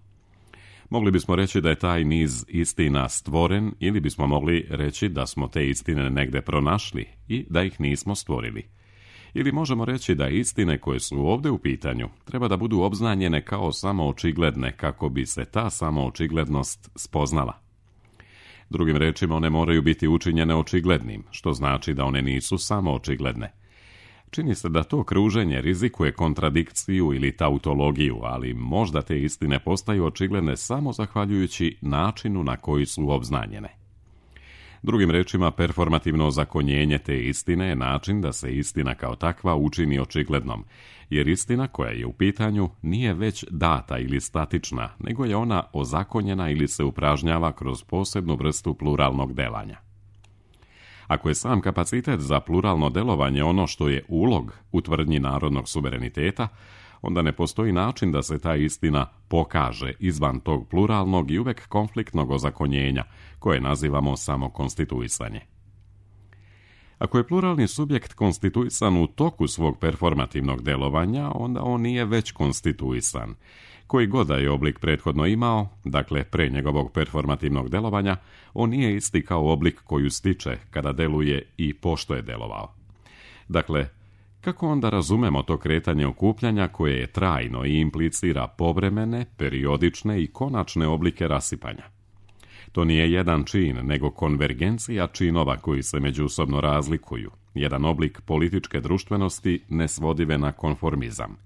Mogli bismo reći da je taj niz istina stvoren ili bismo mogli reći da smo te istine negde pronašli i da ih nismo stvorili. Ili možemo reći da istine koje su ovdje u pitanju treba da budu obznanjene kao samo očigledne kako bi se ta samo očiglednost spoznala. Drugim rečima, one moraju biti učinjene očiglednim, što znači da one nisu samo očigledne. Čini se da to kruženje rizikuje kontradikciju ili tautologiju, ali možda te istine postaju očigledne samo zahvaljujući načinu na koji su obznanjene. Drugim rečima, performativno ozakonjenje te istine je način da se istina kao takva učini očiglednom, jer istina koja je u pitanju nije već data ili statična, nego je ona ozakonjena ili se upražnjava kroz posebnu vrstu pluralnog delanja. Ako je sam kapacitet za pluralno delovanje ono što je ulog u tvrdnji narodnog suvereniteta, onda ne postoji način da se ta istina pokaže izvan tog pluralnog i uvek konfliktnog ozakonjenja, koje nazivamo samo konstituisanje. Ako je pluralni subjekt konstituisan u toku svog performativnog delovanja, onda on nije već konstituisan. Koji god da je oblik prethodno imao, dakle pre njegovog performativnog delovanja, on nije isti kao oblik koju stiče kada deluje i pošto je delovao. Dakle, Kako onda razumemo to kretanje okupljanja koje je trajno i implicira povremene, periodične i konačne oblike rasipanja? To nije jedan čin, nego konvergencija činova koji se međusobno razlikuju, jedan oblik političke društvenosti nesvodive na konformizam.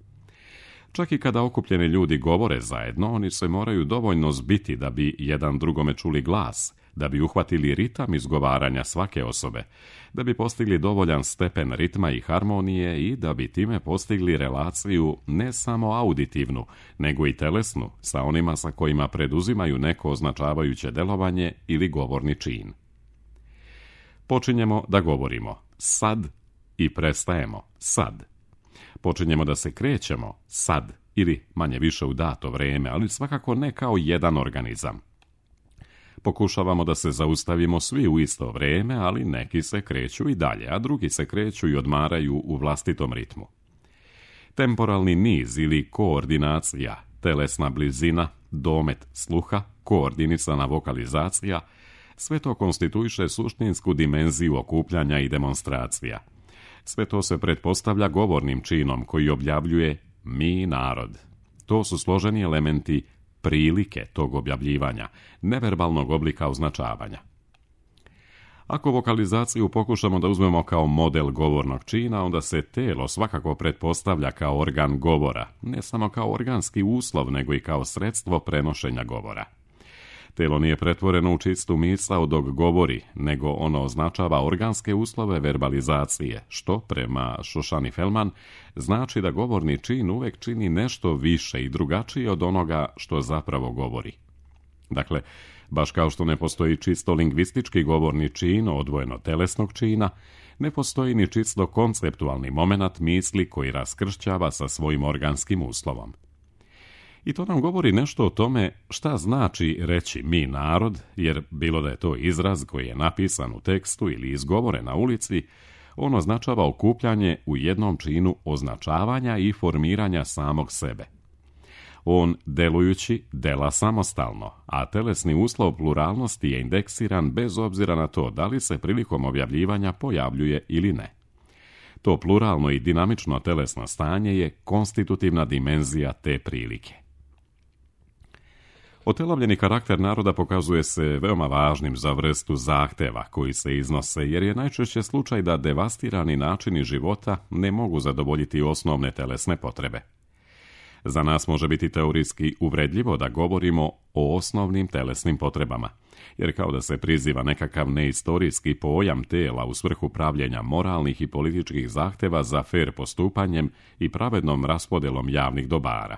Čak i kada okupljeni ljudi govore zajedno, oni se moraju dovoljno zbiti da bi jedan drugome čuli glas, da bi uhvatili ritam izgovaranja svake osobe, da bi postigli dovoljan stepen ritma i harmonije i da bi time postigli relaciju ne samo auditivnu, nego i telesnu sa onima sa kojima preduzimaju neko označavajuće delovanje ili govorni čin. Počinjemo da govorimo sad i prestajemo sad. Počinjemo da se krećemo sad ili manje više u dato vrijeme, ali svakako ne kao jedan organizam. Pokušavamo da se zaustavimo svi u isto vrijeme, ali neki se kreću i dalje, a drugi se kreću i odmaraju u vlastitom ritmu. Temporalni niz ili koordinacija, telesna blizina, domet sluha, koordinisana vokalizacija, sve to konstituiše suštinsku dimenziju okupljanja i demonstracija. Sve to se pretpostavlja govornim činom koji objavljuje mi narod. To su složeni elementi prilike tog objavljivanja, neverbalnog oblika označavanja. Ako vokalizaciju pokušamo da uzmemo kao model govornog čina, onda se telo svakako pretpostavlja kao organ govora, ne samo kao organski uslov, nego i kao sredstvo prenošenja govora. Telo nije pretvoreno u čistu misao dok govori, nego ono označava organske uslove verbalizacije, što, prema Šošani Felman, znači da govorni čin uvek čini nešto više i drugačije od onoga što zapravo govori. Dakle, baš kao što ne postoji čisto lingvistički govorni čin odvojeno telesnog čina, ne postoji ni čisto konceptualni momenat misli koji raskršćava sa svojim organskim uslovom. I to nam govori nešto o tome šta znači reći mi narod, jer bilo da je to izraz koji je napisan u tekstu ili izgovoren na ulici, on označava okupljanje u jednom činu označavanja i formiranja samog sebe. On, delujući, dela samostalno, a telesni uslov pluralnosti je indeksiran bez obzira na to da li se prilikom objavljivanja pojavljuje ili ne. To pluralno i dinamično telesno stanje je konstitutivna dimenzija te prilike. Otelovljeni karakter naroda pokazuje se veoma važnim za vrstu zahteva koji se iznose, jer je najčešće slučaj da devastirani načini života ne mogu zadovoljiti osnovne telesne potrebe. Za nas može biti teorijski uvredljivo da govorimo o osnovnim telesnim potrebama, jer kao da se priziva nekakav neistorijski pojam tela u svrhu pravljenja moralnih i političkih zahteva za fer postupanjem i pravednom raspodelom javnih dobara.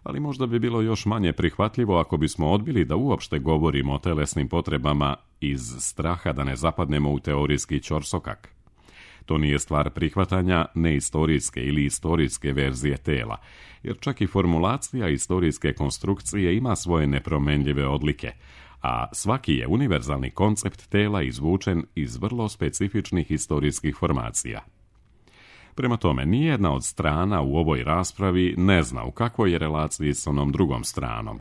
Ali možda bi bilo još manje prihvatljivo ako bismo odbili da uopšte govorimo o telesnim potrebama iz straha da ne zapadnemo u teorijski ćorsokak. To nije stvar prihvatanja neistorijske ili istorijske verzije tela, jer čak i formulacija istorijske konstrukcije ima svoje nepromenljive odlike, a svaki je univerzalni koncept tela izvučen iz vrlo specifičnih historijskih formacija. Prema tome, nijedna od strana u ovoj raspravi ne zna u kakvoj je relaciji s onom drugom stranom.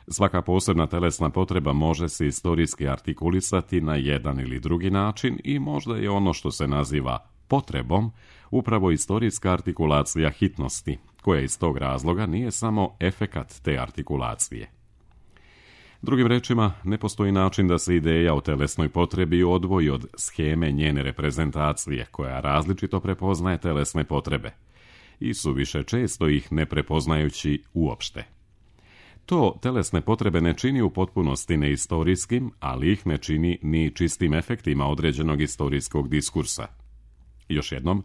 Svaka posebna telesna potreba može se istorijski artikulisati na jedan ili drugi način i možda je ono što se naziva potrebom upravo istorijska artikulacija hitnosti, koja iz tog razloga nije samo efekat te artikulacije. Drugim rečima, ne postoji način da se ideja o telesnoj potrebi odvoji od sheme njene reprezentacije, koja različito prepoznaje telesne potrebe, i suviše često ih ne prepoznajući uopšte. To telesne potrebe ne čini u potpunosti neistorijskim, ali ih ne čini ni čistim efektima određenog istorijskog diskursa. Još jednom,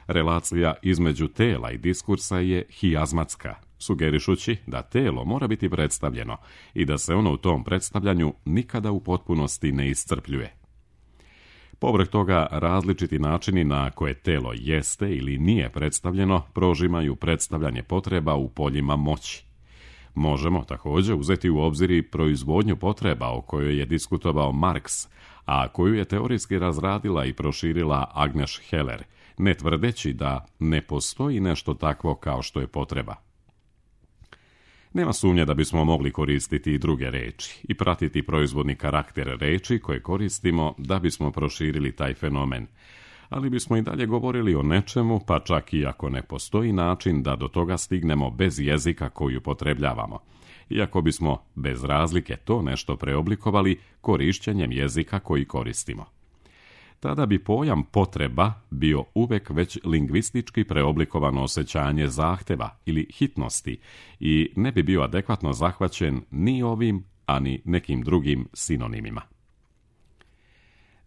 relacija između tela i diskursa je hijazmatska, sugerišući da telo mora biti predstavljeno i da se ono u tom predstavljanju nikada u potpunosti ne iscrpljuje. Povrh toga, različiti načini na koje telo jeste ili nije predstavljeno prožimaju predstavljanje potreba u poljima moći. Možemo također uzeti u obzir i proizvodnju potreba o kojoj je diskutovao Marks, a koju je teorijski razradila i proširila Agnes Heller, ne tvrdeći da ne postoji nešto takvo kao što je potreba. Nema sumnje da bismo mogli koristiti i druge reči i pratiti proizvodni karakter reči koje koristimo da bismo proširili taj fenomen, ali bismo i dalje govorili o nečemu, pa čak i ako ne postoji način da do toga stignemo bez jezika koji upotrebljavamo, iako bismo bez razlike to nešto preoblikovali korišćenjem jezika koji koristimo. Tada bi pojam potreba bio uvek već lingvistički preoblikovano osjećanje zahteva ili hitnosti i ne bi bio adekvatno zahvaćen ni ovim, a ni nekim drugim sinonimima.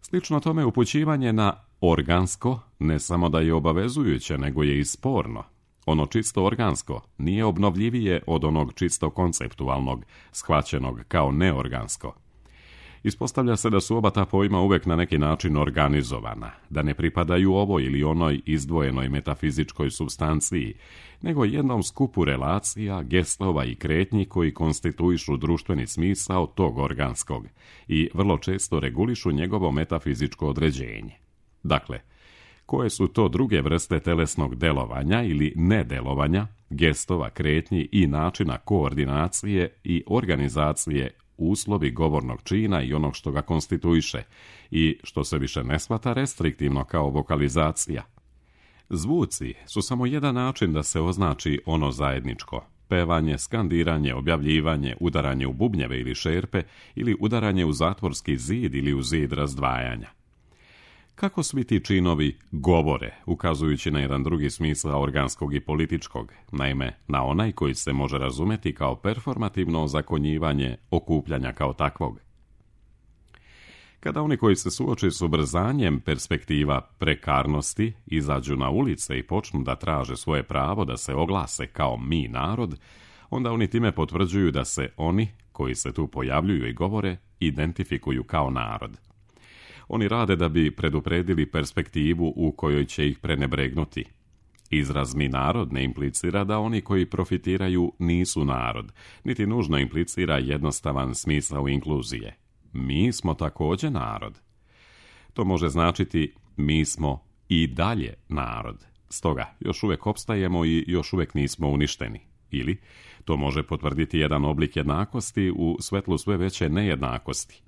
Slično tome upućivanje na organsko ne samo da je obavezujuće, nego je i sporno. Ono čisto organsko nije obnovljivije od onog čisto konceptualnog, shvaćenog kao neorgansko. Ispostavlja se da su oba ta pojma uvek na neki način organizovana, da ne pripadaju ovoj ili onoj izdvojenoj metafizičkoj supstanciji, nego jednom skupu relacija, gestova i kretnji koji konstituišu društveni smisao tog organskog i vrlo često regulišu njegovo metafizičko određenje. Dakle, koje su to druge vrste telesnog delovanja ili nedelovanja, gestova, kretnji i načina koordinacije i organizacije uslovi govornog čina i onog što ga konstituiše i što se više ne shvata restriktivno kao vokalizacija. Zvuci su samo jedan način da se označi ono zajedničko. Pevanje, skandiranje, objavljivanje, udaranje u bubnjeve ili šerpe ili udaranje u zatvorski zid ili u zid razdvajanja. Kako svi ti činovi govore, ukazujući na jedan drugi smisao organskog i političkog, naime na onaj koji se može razumeti kao performativno ozakonjivanje okupljanja kao takvog. Kada oni koji se suoče s ubrzanjem perspektiva prekarnosti izađu na ulice i počnu da traže svoje pravo da se oglase kao mi narod, onda oni time potvrđuju da se oni koji se tu pojavljuju i govore identifikuju kao narod. Oni rade da bi predupredili perspektivu u kojoj će ih prenebregnuti. Izraz mi narod ne implicira da oni koji profitiraju nisu narod, niti nužno implicira jednostavan smisao inkluzije. Mi smo također narod. To može značiti mi smo i dalje narod. Stoga još uvijek opstajemo i još uvijek nismo uništeni. Ili to može potvrditi jedan oblik jednakosti u svetlu sve veće nejednakosti.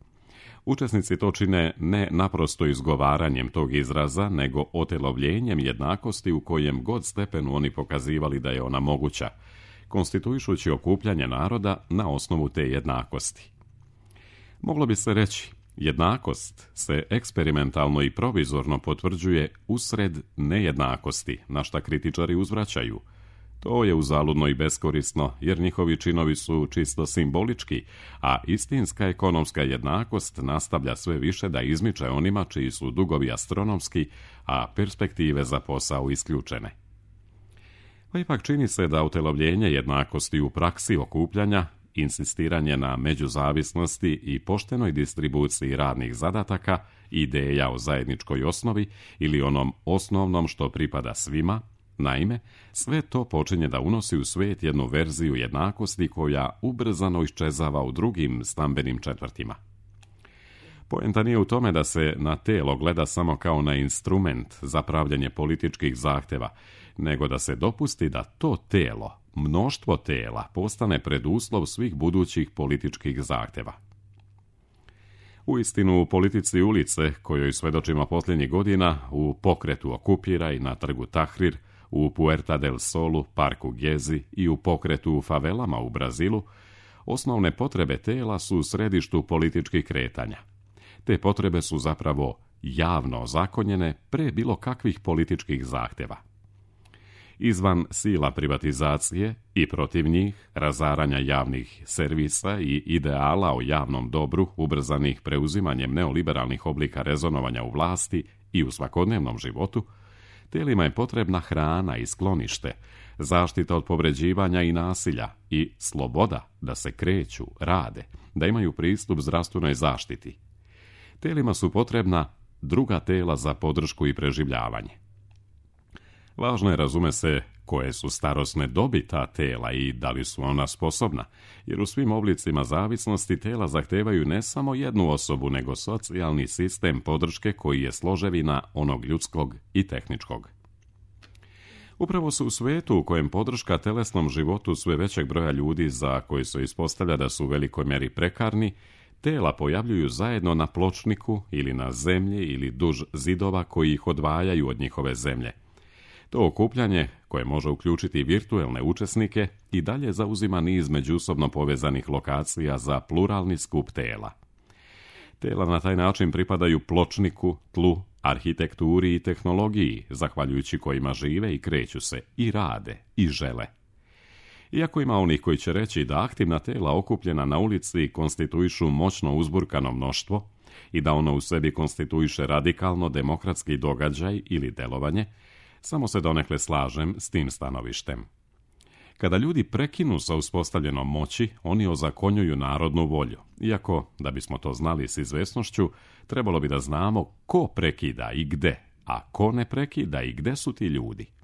Učesnici to čine ne naprosto izgovaranjem tog izraza, nego otelovljenjem jednakosti u kojem god stepenu oni pokazivali da je ona moguća, konstituišući okupljanje naroda na osnovu te jednakosti. Moglo bi se reći, jednakost se eksperimentalno i provizorno potvrđuje usred nejednakosti, na šta kritičari uzvraćaju. To je uzaludno i beskorisno, jer njihovi činovi su čisto simbolički, a istinska ekonomska jednakost nastavlja sve više da izmiče onima čiji su dugovi astronomski, a perspektive za posao isključene. Pa ipak čini se da utelovljenje jednakosti u praksi okupljanja, insistiranje na međuzavisnosti i poštenoj distribuciji radnih zadataka, ideja o zajedničkoj osnovi ili onom osnovnom što pripada svima, naime, sve to počinje da unosi u svijet jednu verziju jednakosti koja ubrzano iščezava u drugim stambenim četvrtima. Poenta nije u tome da se na telo gleda samo kao na instrument za pravljenje političkih zahteva, nego da se dopusti da to telo, mnoštvo tela, postane preduslov svih budućih političkih zahteva. Uistinu, u politici ulice, kojoj svedočimo posljednjih godina, u pokretu Okupiraj na trgu Tahrir, u Puerta del Solu, parku Gezi i u pokretu u favelama u Brazilu, osnovne potrebe tela su u središtu političkih kretanja. Te potrebe su zapravo javno ozakonjene pre bilo kakvih političkih zahteva. Izvan sila privatizacije i protiv njih, razaranja javnih servisa i ideala o javnom dobru ubrzanih preuzimanjem neoliberalnih oblika rezonovanja u vlasti i u svakodnevnom životu, telima je potrebna hrana i sklonište, zaštita od povređivanja i nasilja i sloboda da se kreću, rade, da imaju pristup zdravstvenoj zaštiti. Telima su potrebna druga tela za podršku i preživljavanje. Važno je, razume se, koje su starosne dobi ta tela i da li su ona sposobna, jer u svim oblicima zavisnosti tela zahtevaju ne samo jednu osobu, nego socijalni sistem podrške koji je složevina onog ljudskog i tehničkog. Upravo su u svijetu u kojem podrška telesnom životu sve većeg broja ljudi za koji se ispostavlja da su u velikoj mjeri prekarni, tela pojavljuju zajedno na pločniku ili na zemlji ili duž zidova koji ih odvajaju od njihove zemlje. To okupljanje, koje može uključiti virtuelne učesnike, i dalje zauzima niz međusobno povezanih lokacija za pluralni skup tela. Tela na taj način pripadaju pločniku, tlu, arhitekturi i tehnologiji, zahvaljujući kojima žive i kreću se, i rade, i žele. Iako ima onih koji će reći da aktivna tela okupljena na ulici konstituišu moćno uzburkano mnoštvo i da ono u sebi konstituiše radikalno demokratski događaj ili delovanje, samo se donekle slažem s tim stanovištem. Kada ljudi prekinu sa uspostavljenom moći, oni ozakonjuju narodnu volju, iako, da bismo to znali s izvesnošću, trebalo bi da znamo ko prekida i gde, a ko ne prekida i gde su ti ljudi.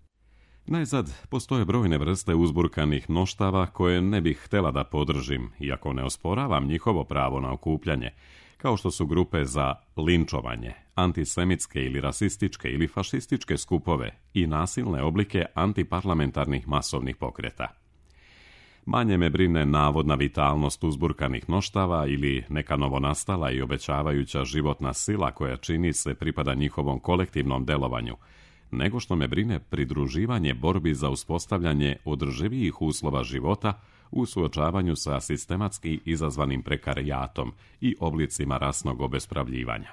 Najzad, postoje brojne vrste uzburkanih mnoštava koje ne bih htjela da podržim, iako ne osporavam njihovo pravo na okupljanje, kao što su grupe za linčovanje, antisemitske ili rasističke ili fašističke skupove i nasilne oblike antiparlamentarnih masovnih pokreta. Manje me brine navodna vitalnost uzburkanih mnoštava ili neka novonastala i obećavajuća životna sila koja čini se pripada njihovom kolektivnom delovanju, nego što me brine pridruživanje borbi za uspostavljanje održivijih uslova života u suočavanju sa sistematski izazvanim prekarijatom i oblicima rasnog obespravljivanja.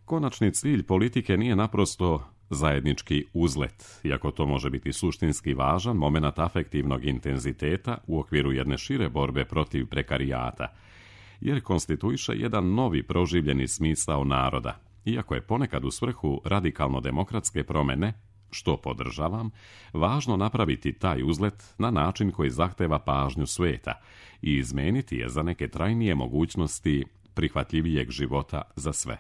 Konačni cilj politike nije naprosto zajednički uzlet, iako to može biti suštinski važan momenat afektivnog intenziteta u okviru jedne šire borbe protiv prekarijata, jer konstituiše jedan novi proživljeni smisao naroda, iako je ponekad u svrhu radikalno demokratske promjene, što podržavam, važno napraviti taj uzlet na način koji zahteva pažnju sveta i izmeniti je za neke trajnije mogućnosti prihvatljivijeg života za sve.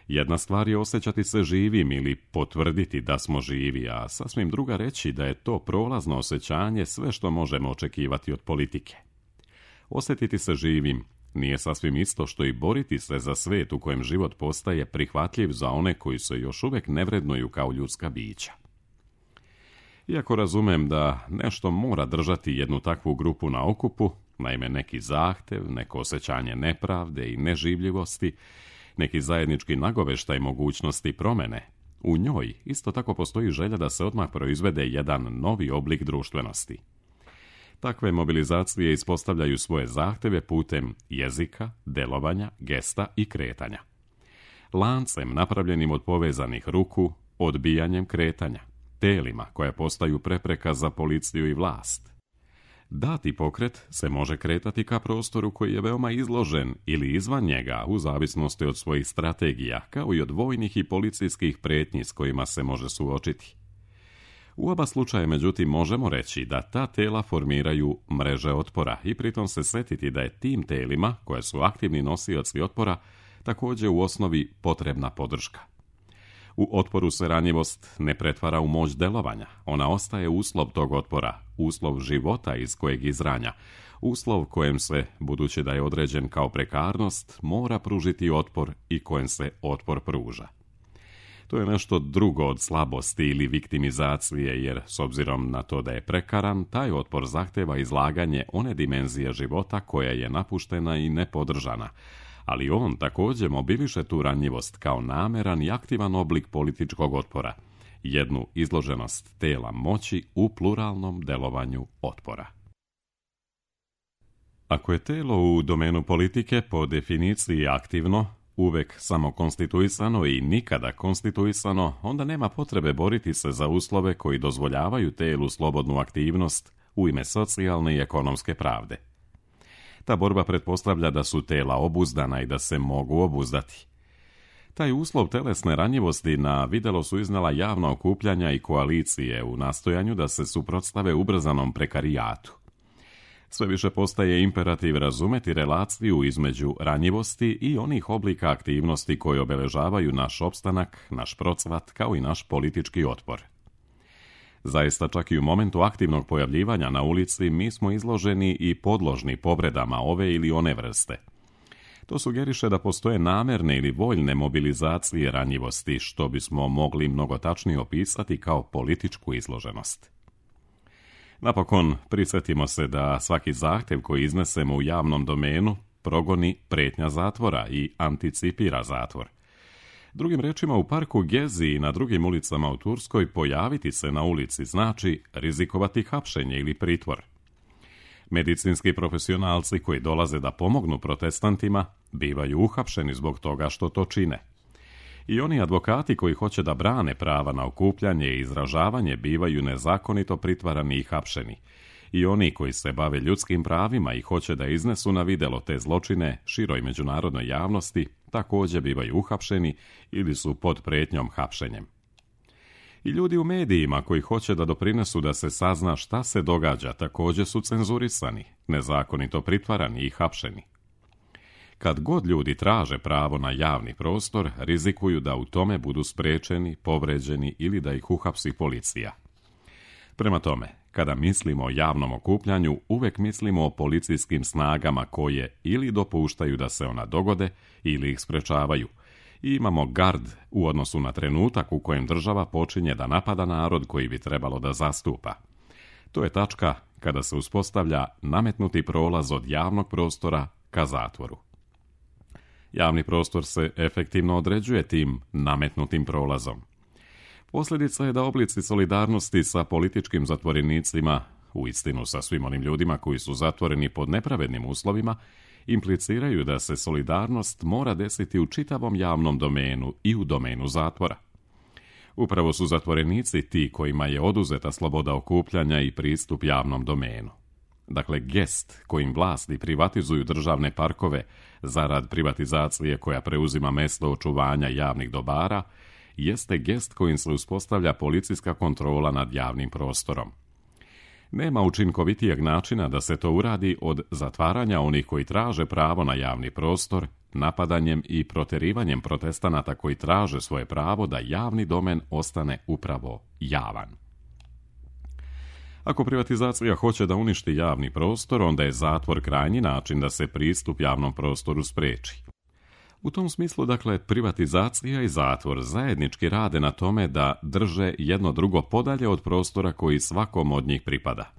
Jedna stvar je osjećati se živim ili potvrditi da smo živi, a sasvim druga reći da je to prolazno osjećanje sve što možemo očekivati od politike. Osjetiti se živim nije sasvim isto što i boriti se za svijet u kojem život postaje prihvatljiv za one koji se još uvijek ne vrednuju kao ljudska bića. Iako razumem da nešto mora držati jednu takvu grupu na okupu, naime neki zahtev, neko osjećanje nepravde i neživljivosti, neki zajednički nagoveštaj mogućnosti promjene, u njoj isto tako postoji želja da se odmah proizvede jedan novi oblik društvenosti. Takve mobilizacije ispostavljaju svoje zahteve putem jezika, delovanja, gesta i kretanja. Lancem napravljenim od povezanih ruku, odbijanjem kretanja, telima koja postaju prepreka za policiju i vlast. Dati pokret se može kretati ka prostoru koji je veoma izložen ili izvan njega u zavisnosti od svojih strategija, kao i od vojnih i policijskih pretnji s kojima se može suočiti. U oba slučaja, međutim, možemo reći da ta tela formiraju mreže otpora i pritom se setiti da je tim telima, koje su aktivni nosioci otpora, također u osnovi potrebna podrška. U otporu se ranjivost ne pretvara u moć delovanja, ona ostaje uslov tog otpora, uslov života iz kojeg izranja, uslov kojem se, budući da je određen kao prekarnost, mora pružiti otpor i kojem se otpor pruža. To je nešto drugo od slabosti ili viktimizacije, jer s obzirom na to da je prekaran, taj otpor zahteva izlaganje one dimenzije života koja je napuštena i nepodržana, ali on također mobiliše tu ranjivost kao nameran i aktivan oblik političkog otpora, jednu izloženost tela moći u pluralnom delovanju otpora. Ako je telo u domenu politike po definiciji aktivno, uvek samo konstituisano i nikada konstituisano, onda nema potrebe boriti se za uslove koji dozvoljavaju telu slobodnu aktivnost u ime socijalne i ekonomske pravde. Ta borba pretpostavlja da su tela obuzdana i da se mogu obuzdati. Taj uslov telesne ranjivosti na videlo su iznala javna okupljanja i koalicije u nastojanju da se suprotstave ubrzanom prekarijatu. Sve više postaje imperativ razumeti relaciju između ranjivosti i onih oblika aktivnosti koje obeležavaju naš opstanak, naš procvat, kao i naš politički otpor. Zaista, čak i u momentu aktivnog pojavljivanja na ulici mi smo izloženi i podložni povredama ove ili one vrste. To sugeriše da postoje namerne ili voljne mobilizacije ranjivosti, što bismo mogli mnogo tačnije opisati kao političku izloženost. Napokon, prisjetimo se da svaki zahtev koji iznesemo u javnom domenu, progoni prijetnja zatvora i anticipira zatvor. Drugim rečima, u parku Gezi i na drugim ulicama u Turskoj pojaviti se na ulici znači rizikovati hapšenje ili pritvor. Medicinski profesionalci koji dolaze da pomognu protestantima bivaju uhapšeni zbog toga što to čine. I oni advokati koji hoće da brane prava na okupljanje i izražavanje bivaju nezakonito pritvarani i hapšeni. I oni koji se bave ljudskim pravima i hoće da iznesu na videlo te zločine široj međunarodnoj javnosti također bivaju uhapšeni ili su pod prijetnjom hapšenjem. I ljudi u medijima koji hoće da doprinesu da se sazna šta se događa također su cenzurisani, nezakonito pritvarani i hapšeni. Kad god ljudi traže pravo na javni prostor, rizikuju da u tome budu spriječeni, povređeni ili da ih uhapsi policija. Prema tome, kada mislimo o javnom okupljanju, uvek mislimo o policijskim snagama koje ili dopuštaju da se ona dogode ili ih sprečavaju. I imamo gard u odnosu na trenutak u kojem država počinje da napada narod koji bi trebalo da zastupa. To je tačka kada se uspostavlja nametnuti prolaz od javnog prostora ka zatvoru. Javni prostor se efektivno određuje tim nametnutim prolazom. Posljedica je da oblici solidarnosti sa političkim zatvorenicima, uistinu sa svim onim ljudima koji su zatvoreni pod nepravednim uslovima, impliciraju da se solidarnost mora desiti u čitavom javnom domenu i u domenu zatvora. Upravo su zatvorenici ti kojima je oduzeta sloboda okupljanja i pristup javnom domenu. Dakle, gest kojim vlasti privatizuju državne parkove zarad privatizacije koja preuzima mesto očuvanja javnih dobara, jeste gest kojim se uspostavlja policijska kontrola nad javnim prostorom. Nema učinkovitijeg načina da se to uradi od zatvaranja onih koji traže pravo na javni prostor, napadanjem i proterivanjem protestanata koji traže svoje pravo da javni domen ostane upravo javan. Ako privatizacija hoće da uništi javni prostor, onda je zatvor krajnji način da se pristup javnom prostoru spreči. U tom smislu, dakle, privatizacija i zatvor zajednički rade na tome da drže jedno drugo podalje od prostora koji svakom od njih pripada.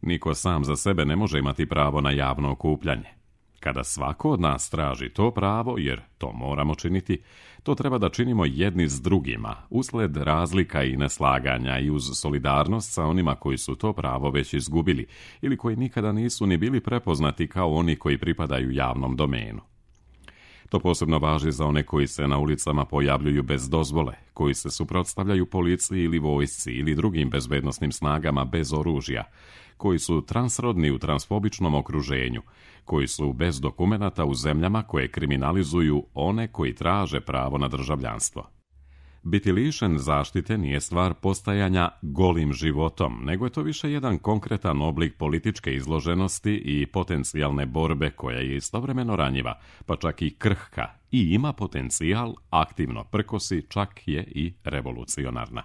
Niko sam za sebe ne može imati pravo na javno okupljanje. Kada svako od nas traži to pravo, jer to moramo činiti, to treba da činimo jedni s drugima, usled razlika i neslaganja i uz solidarnost sa onima koji su to pravo već izgubili ili koji nikada nisu ni bili prepoznati kao oni koji pripadaju javnom domenu. To posebno važi za one koji se na ulicama pojavljuju bez dozvole, koji se suprotstavljaju policiji ili vojsci ili drugim bezbednosnim snagama bez oružja, koji su transrodni u transfobičnom okruženju, koji su bez dokumenata u zemljama koje kriminalizuju one koji traže pravo na državljanstvo. Biti lišen zaštite nije stvar postajanja golim životom, nego je to više jedan konkretan oblik političke izloženosti i potencijalne borbe koja je istovremeno ranjiva, pa čak i krhka, i ima potencijal aktivno prkosi, čak je i revolucionarna.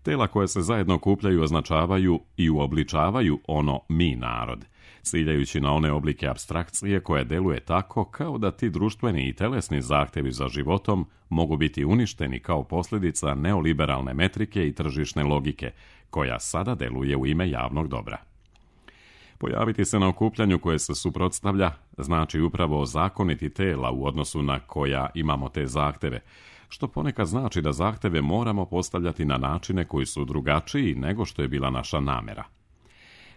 Tela koje se zajedno okupljaju označavaju i uobličavaju ono mi narod, ciljajući na one oblike apstrakcije koje deluje tako kao da ti društveni i telesni zahtevi za životom mogu biti uništeni kao posljedica neoliberalne metrike i tržišne logike, koja sada deluje u ime javnog dobra. Pojaviti se na okupljanju koje se suprotstavlja znači upravo ozakoniti tela u odnosu na koja imamo te zahteve, što ponekad znači da zahteve moramo postavljati na načine koji su drugačiji nego što je bila naša namera.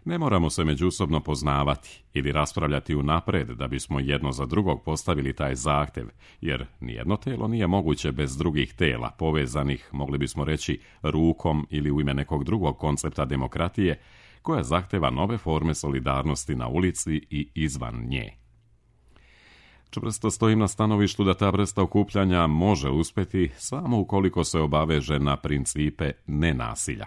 Ne moramo se međusobno poznavati ili raspravljati unapred da bismo jedno za drugog postavili taj zahtev, jer nijedno telo nije moguće bez drugih tela, povezanih, mogli bismo reći, rukom ili u ime nekog drugog koncepta demokratije, koja zahteva nove forme solidarnosti na ulici i izvan nje. Čvrsto stojim na stanovištu da ta vrsta okupljanja može uspjeti samo ukoliko se obaveže na principe nenasilja.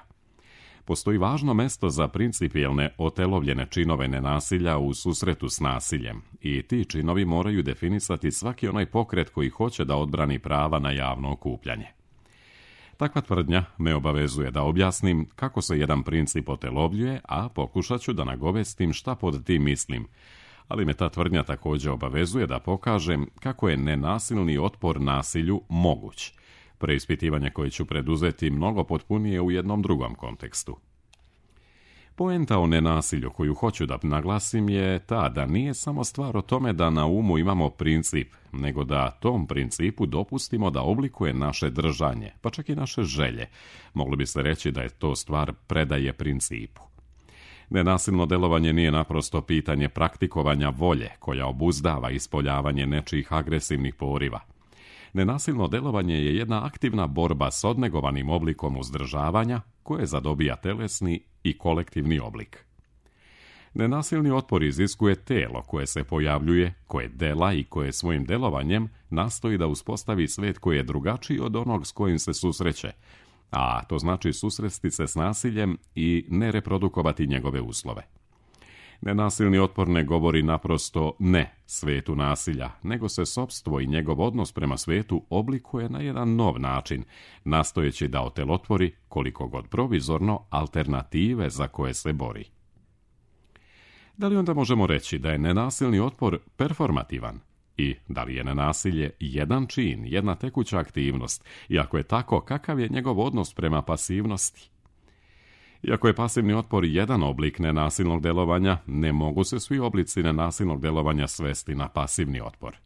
Postoji važno mesto za principijelne otelovljene činove nenasilja u susretu s nasiljem i ti činovi moraju definisati svaki onaj pokret koji hoće da odbrani prava na javno okupljanje. Takva tvrdnja me obavezuje da objasnim kako se jedan princip otelovljuje, a pokušat ću da nagovestim šta pod tim mislim, ali me ta tvrdnja također obavezuje da pokažem kako je nenasilni otpor nasilju moguć, preispitivanje koje ću preduzeti mnogo potpunije u jednom drugom kontekstu. Poenta o nenasilju koju hoću da naglasim je ta da nije samo stvar o tome da na umu imamo princip, nego da tom principu dopustimo da oblikuje naše držanje, pa čak i naše želje. Moglo bi se reći da je to stvar predaje principu. Nenasilno delovanje nije naprosto pitanje praktikovanja volje koja obuzdava ispoljavanje nečijih agresivnih poriva. Nenasilno delovanje je jedna aktivna borba s odnegovanim oblikom uzdržavanja koje zadobija telesni i kolektivni oblik. Nenasilni otpor iziskuje telo koje se pojavljuje, koje dela i koje svojim delovanjem nastoji da uspostavi svet koji je drugačiji od onog s kojim se susreće, a to znači susresti se s nasiljem i ne reprodukovati njegove uslove. Nenasilni otpor ne govori naprosto ne svetu nasilja, nego se sopstvo i njegov odnos prema svetu oblikuje na jedan nov način, nastojeći da otelotvori, koliko god provizorno, alternative za koje se bori. Da li onda možemo reći da je nenasilni otpor performativan? I da li je nenasilje jedan čin, jedna tekuća aktivnost? I ako je tako, kakav je njegov odnos prema pasivnosti? Iako je pasivni otpor jedan oblik nenasilnog delovanja, ne mogu se svi oblici nenasilnog delovanja svesti na pasivni otpor.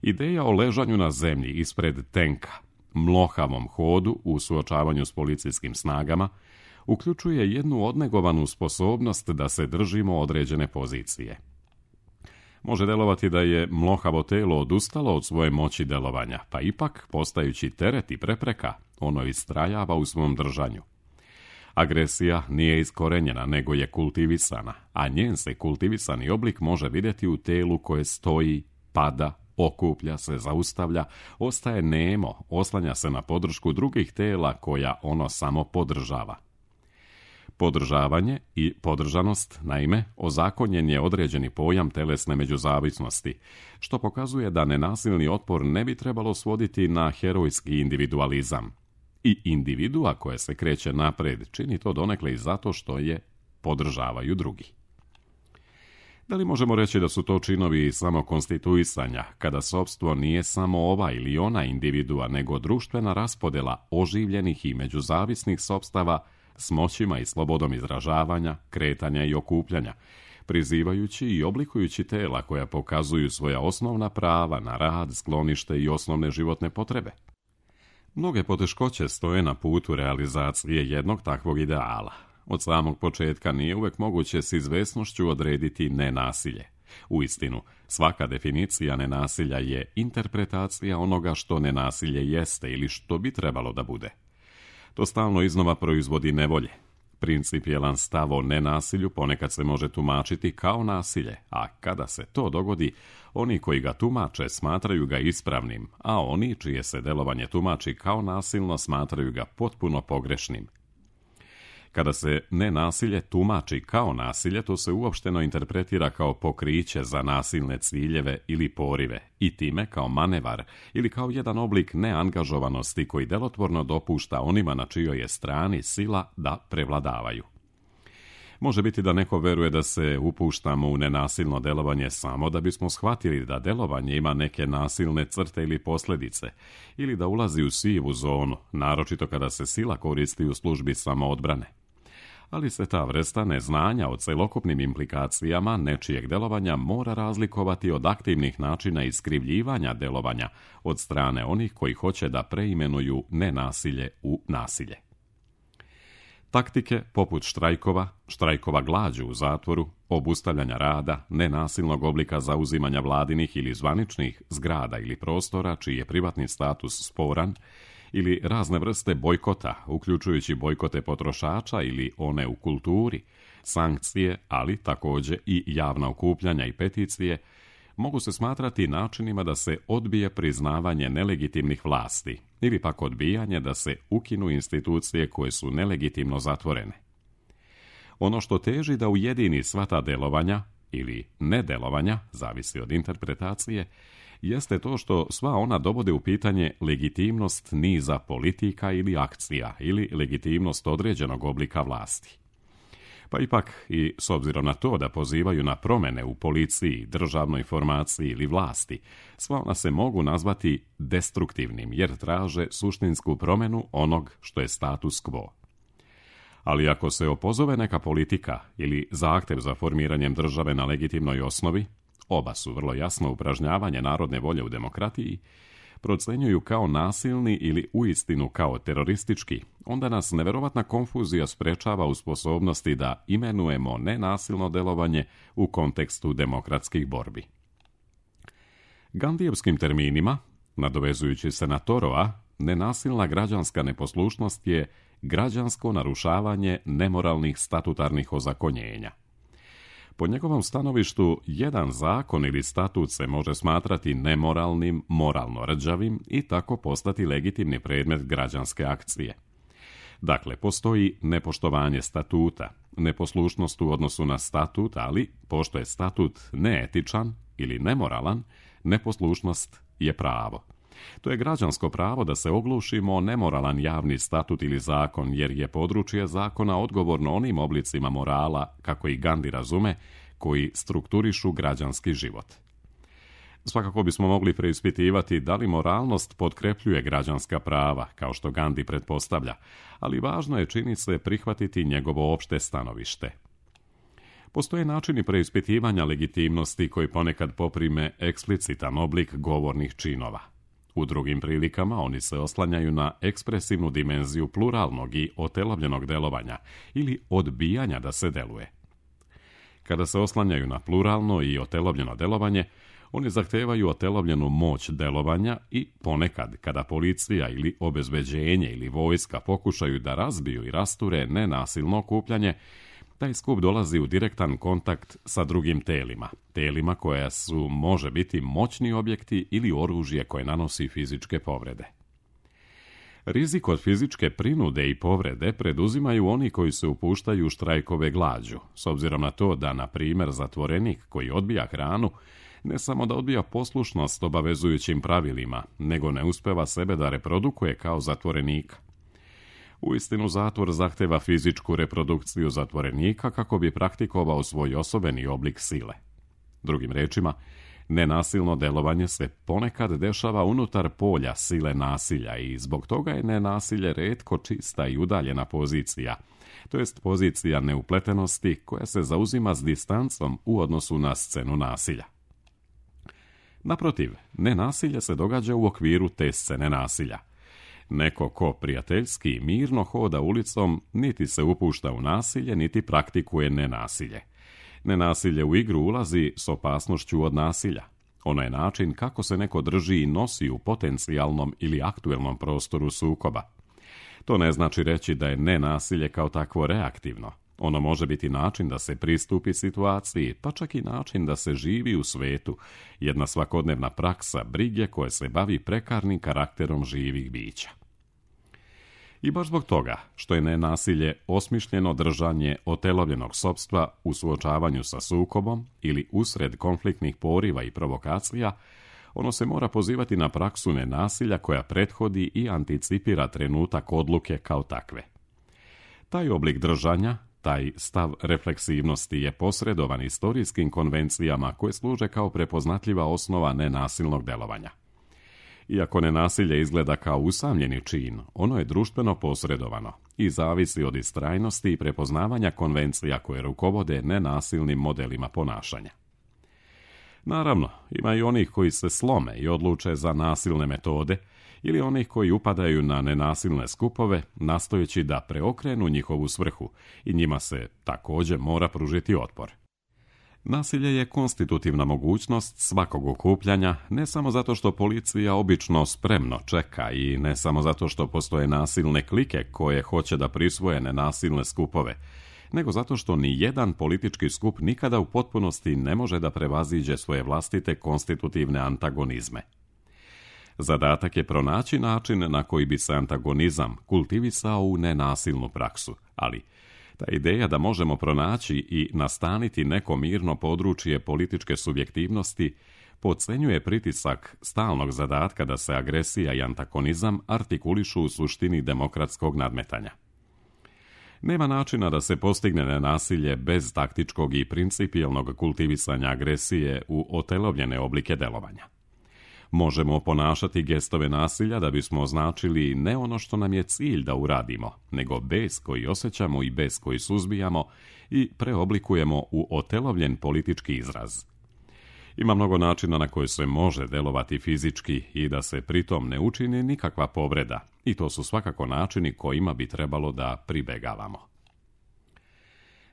Ideja o ležanju na zemlji ispred tenka, mlohavom hodu u suočavanju s policijskim snagama, uključuje jednu odnegovanu sposobnost da se držimo određene pozicije. Može delovati da je mlohavo telo odustalo od svoje moći delovanja, pa ipak, postajući teret i prepreka, ono istrajava u svom držanju. Agresija nije iskorenjena, nego je kultivisana, a njen se kultivisani oblik može vidjeti u telu koje stoji, pada, okuplja se, zaustavlja, ostaje nemo, oslanja se na podršku drugih tela koja ono samo podržava. Podržavanje i podržanost, naime, ozakonjen je određeni pojam telesne međuzavisnosti, što pokazuje da nenasilni otpor ne bi trebalo svoditi na herojski individualizam. I individua koje se kreće napred čini to donekle i zato što je podržavaju drugi. Da li možemo reći da su to činovi samokonstituisanja, kada sopstvo nije samo ova ili ona individua, nego društvena raspodela oživljenih i međuzavisnih sopstava s moćima i slobodom izražavanja, kretanja i okupljanja, prizivajući i oblikujući tela koja pokazuju svoja osnovna prava na rad, sklonište i osnovne životne potrebe? Mnoge poteškoće stoje na putu realizacije jednog takvog ideala. Od samog početka nije uvek moguće s izvesnošću odrediti nenasilje. Uistinu, svaka definicija nenasilja je interpretacija onoga što nenasilje jeste ili što bi trebalo da bude. To stalno iznova proizvodi nevolje. Principijelan stav o nenasilju ponekad se može tumačiti kao nasilje, a kada se to dogodi, oni koji ga tumače smatraju ga ispravnim, a oni čije se delovanje tumači kao nasilno smatraju ga potpuno pogrešnim. Kada se nenasilje tumači kao nasilje, to se uopšteno interpretira kao pokriće za nasilne ciljeve ili porive i time kao manevar ili kao jedan oblik neangažovanosti koji delotvorno dopušta onima na čijoj je strani sila da prevladavaju. Može biti da neko veruje da se upuštamo u nenasilno delovanje samo da bismo shvatili da delovanje ima neke nasilne crte ili posljedice, ili da ulazi u sivu zonu, naročito kada se sila koristi u službi samoodbrane. Ali se ta vrsta neznanja o celokupnim implikacijama nečijeg delovanja mora razlikovati od aktivnih načina iskrivljivanja delovanja od strane onih koji hoće da preimenuju nenasilje u nasilje. Taktike poput štrajkova, štrajkova glađu u zatvoru, obustavljanja rada, nenasilnog oblika zauzimanja vladinih ili zvaničnih zgrada ili prostora čiji je privatni status sporan, ili razne vrste bojkota, uključujući bojkote potrošača ili one u kulturi, sankcije, ali također i javna okupljanja i peticije, mogu se smatrati načinima da se odbije priznavanje nelegitimnih vlasti ili pak odbijanje da se ukinu institucije koje su nelegitimno zatvorene. Ono što teži da ujedini sva ta delovanja ili nedelovanja, zavisi od interpretacije, jeste to što sva ona dovode u pitanje legitimnost niza politika ili akcija ili legitimnost određenog oblika vlasti. Pa ipak i s obzirom na to da pozivaju na promjene u policiji, državnoj formaciji ili vlasti, sva ona se mogu nazvati destruktivnim jer traže suštinsku promjenu onog što je status quo. Ali ako se opozove neka politika ili zahtjev za formiranjem države na legitimnoj osnovi, oba su vrlo jasno upražnjavanje narodne volje u demokratiji, procenjuju kao nasilni ili uistinu kao teroristički, onda nas neverovatna konfuzija sprečava u sposobnosti da imenujemo nenasilno delovanje u kontekstu demokratskih borbi. Gandijevskim terminima, nadovezujući se na Torova, nenasilna građanska neposlušnost je građansko narušavanje nemoralnih statutarnih ozakonjenja. Po njegovom stanovištu, jedan zakon ili statut se može smatrati nemoralnim, moralno rđavim i tako postati legitimni predmet građanske akcije. Dakle, postoji nepoštovanje statuta, neposlušnost u odnosu na statut, ali pošto je statut neetičan ili nemoralan, neposlušnost je pravo. To je građansko pravo da se oglušimo o nemoralan javni statut ili zakon, jer je područje zakona odgovorno onim oblicima morala, kako i Gandhi razume, koji strukturišu građanski život. Svakako bismo mogli preispitivati da li moralnost potkrepljuje građanska prava, kao što Gandhi pretpostavlja, ali važno je, čini se, prihvatiti njegovo opšte stanovište. Postoje načini preispitivanja legitimnosti koji ponekad poprime eksplicitan oblik govornih činova. U drugim prilikama oni se oslanjaju na ekspresivnu dimenziju pluralnog i otelovljenog delovanja ili odbijanja da se deluje. Kada se oslanjaju na pluralno i otelovljeno delovanje, oni zahtevaju otelovljenu moć delovanja i ponekad, kada policija ili obezbeđenje ili vojska pokušaju da razbiju i rasture nenasilno okupljanje, taj skup dolazi u direktan kontakt sa drugim telima, telima koja su, može biti, moćni objekti ili oružje koje nanosi fizičke povrede. Rizik od fizičke prinude i povrede preduzimaju oni koji se upuštaju u štrajkove glađu, s obzirom na to da, na primjer, zatvorenik koji odbija hranu ne samo da odbija poslušnost obavezujućim pravilima, nego ne uspeva sebe da reprodukuje kao zatvorenika. Uistinu, zatvor zahteva fizičku reprodukciju zatvorenika kako bi praktikovao svoj osobeni oblik sile. Drugim rečima, nenasilno delovanje se ponekad dešava unutar polja sile nasilja i zbog toga je nenasilje retko čista i udaljena pozicija, to jest pozicija neupletenosti koja se zauzima s distancom u odnosu na scenu nasilja. Naprotiv, nenasilje se događa u okviru te scene nasilja. Neko ko prijateljski i mirno hoda ulicom niti se upušta u nasilje, niti praktikuje nenasilje. Nenasilje u igru ulazi s opasnošću od nasilja. Ono je način kako se neko drži i nosi u potencijalnom ili aktuelnom prostoru sukoba. To ne znači reći da je nenasilje kao takvo reaktivno. Ono može biti način da se pristupi situaciji, pa čak i način da se živi u svetu, jedna svakodnevna praksa brige koja se bavi prekarnim karakterom živih bića. I baš zbog toga što je nenasilje osmišljeno držanje otelovljenog sopstva u suočavanju sa sukobom ili usred konfliktnih poriva i provokacija, ono se mora pozivati na praksu nenasilja koja prethodi i anticipira trenutak odluke kao takve. Taj oblik držanja, taj stav refleksivnosti je posredovan istorijskim konvencijama koje služe kao prepoznatljiva osnova nenasilnog delovanja. Iako nenasilje izgleda kao usamljeni čin, ono je društveno posredovano i zavisi od istrajnosti i prepoznavanja konvencija koje rukovode nenasilnim modelima ponašanja. Naravno, ima i onih koji se slome i odluče za nasilne metode ili onih koji upadaju na nenasilne skupove nastojeći da preokrenu njihovu svrhu i njima se također mora pružiti otpor. Nasilje je konstitutivna mogućnost svakog okupljanja, ne samo zato što policija obično spremno čeka i ne samo zato što postoje nasilne klike koje hoće da prisvoje nenasilne skupove, nego zato što ni jedan politički skup nikada u potpunosti ne može da prevaziđe svoje vlastite konstitutivne antagonizme. Zadatak je pronaći način na koji bi se antagonizam kultivisao u nenasilnu praksu, ali ta ideja da možemo pronaći i nastaniti neko mirno područje političke subjektivnosti podcenjuje pritisak stalnog zadatka da se agresija i antagonizam artikulišu u suštini demokratskog nadmetanja. Nema načina da se postigne nenasilje bez taktičkog i principijelnog kultivisanja agresije u otelovljene oblike delovanja. Možemo ponašati gestove nasilja da bismo označili ne ono što nam je cilj da uradimo, nego bes koji osjećamo i bes koji suzbijamo i preoblikujemo u otelovljen politički izraz. Ima mnogo načina na koje se može delovati fizički i da se pritom ne učini nikakva povreda, i to su svakako načini kojima bi trebalo da pribegavamo.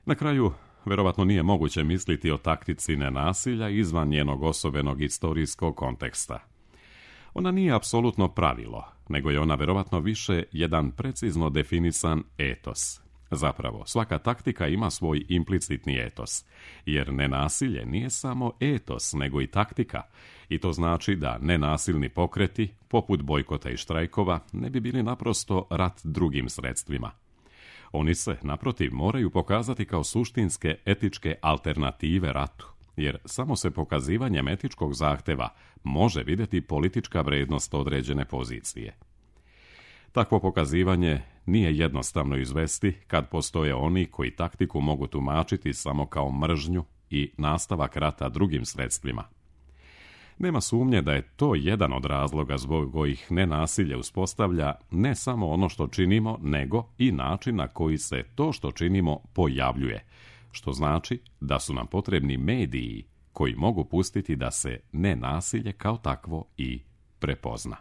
Na kraju, verovatno nije moguće misliti o taktici nenasilja izvan njenog osobenog istorijskog konteksta. Ona nije apsolutno pravilo, nego je ona verovatno više jedan precizno definisan etos. Zapravo, svaka taktika ima svoj implicitni etos, jer nenasilje nije samo etos, nego i taktika, i to znači da nenasilni pokreti, poput bojkota i štrajkova, ne bi bili naprosto rat drugim sredstvima. Oni se, naprotiv, moraju pokazati kao suštinske etičke alternative ratu, jer samo se pokazivanjem etičkog zahteva može vidjeti politička vrednost određene pozicije. Takvo pokazivanje nije jednostavno izvesti kad postoje oni koji taktiku mogu tumačiti samo kao mržnju i nastavak rata drugim sredstvima. Nema sumnje da je to jedan od razloga zbog kojih nenasilje uspostavlja ne samo ono što činimo, nego i način na koji se to što činimo pojavljuje, što znači da su nam potrebni mediji koji mogu pustiti da se nenasilje kao takvo i prepozna.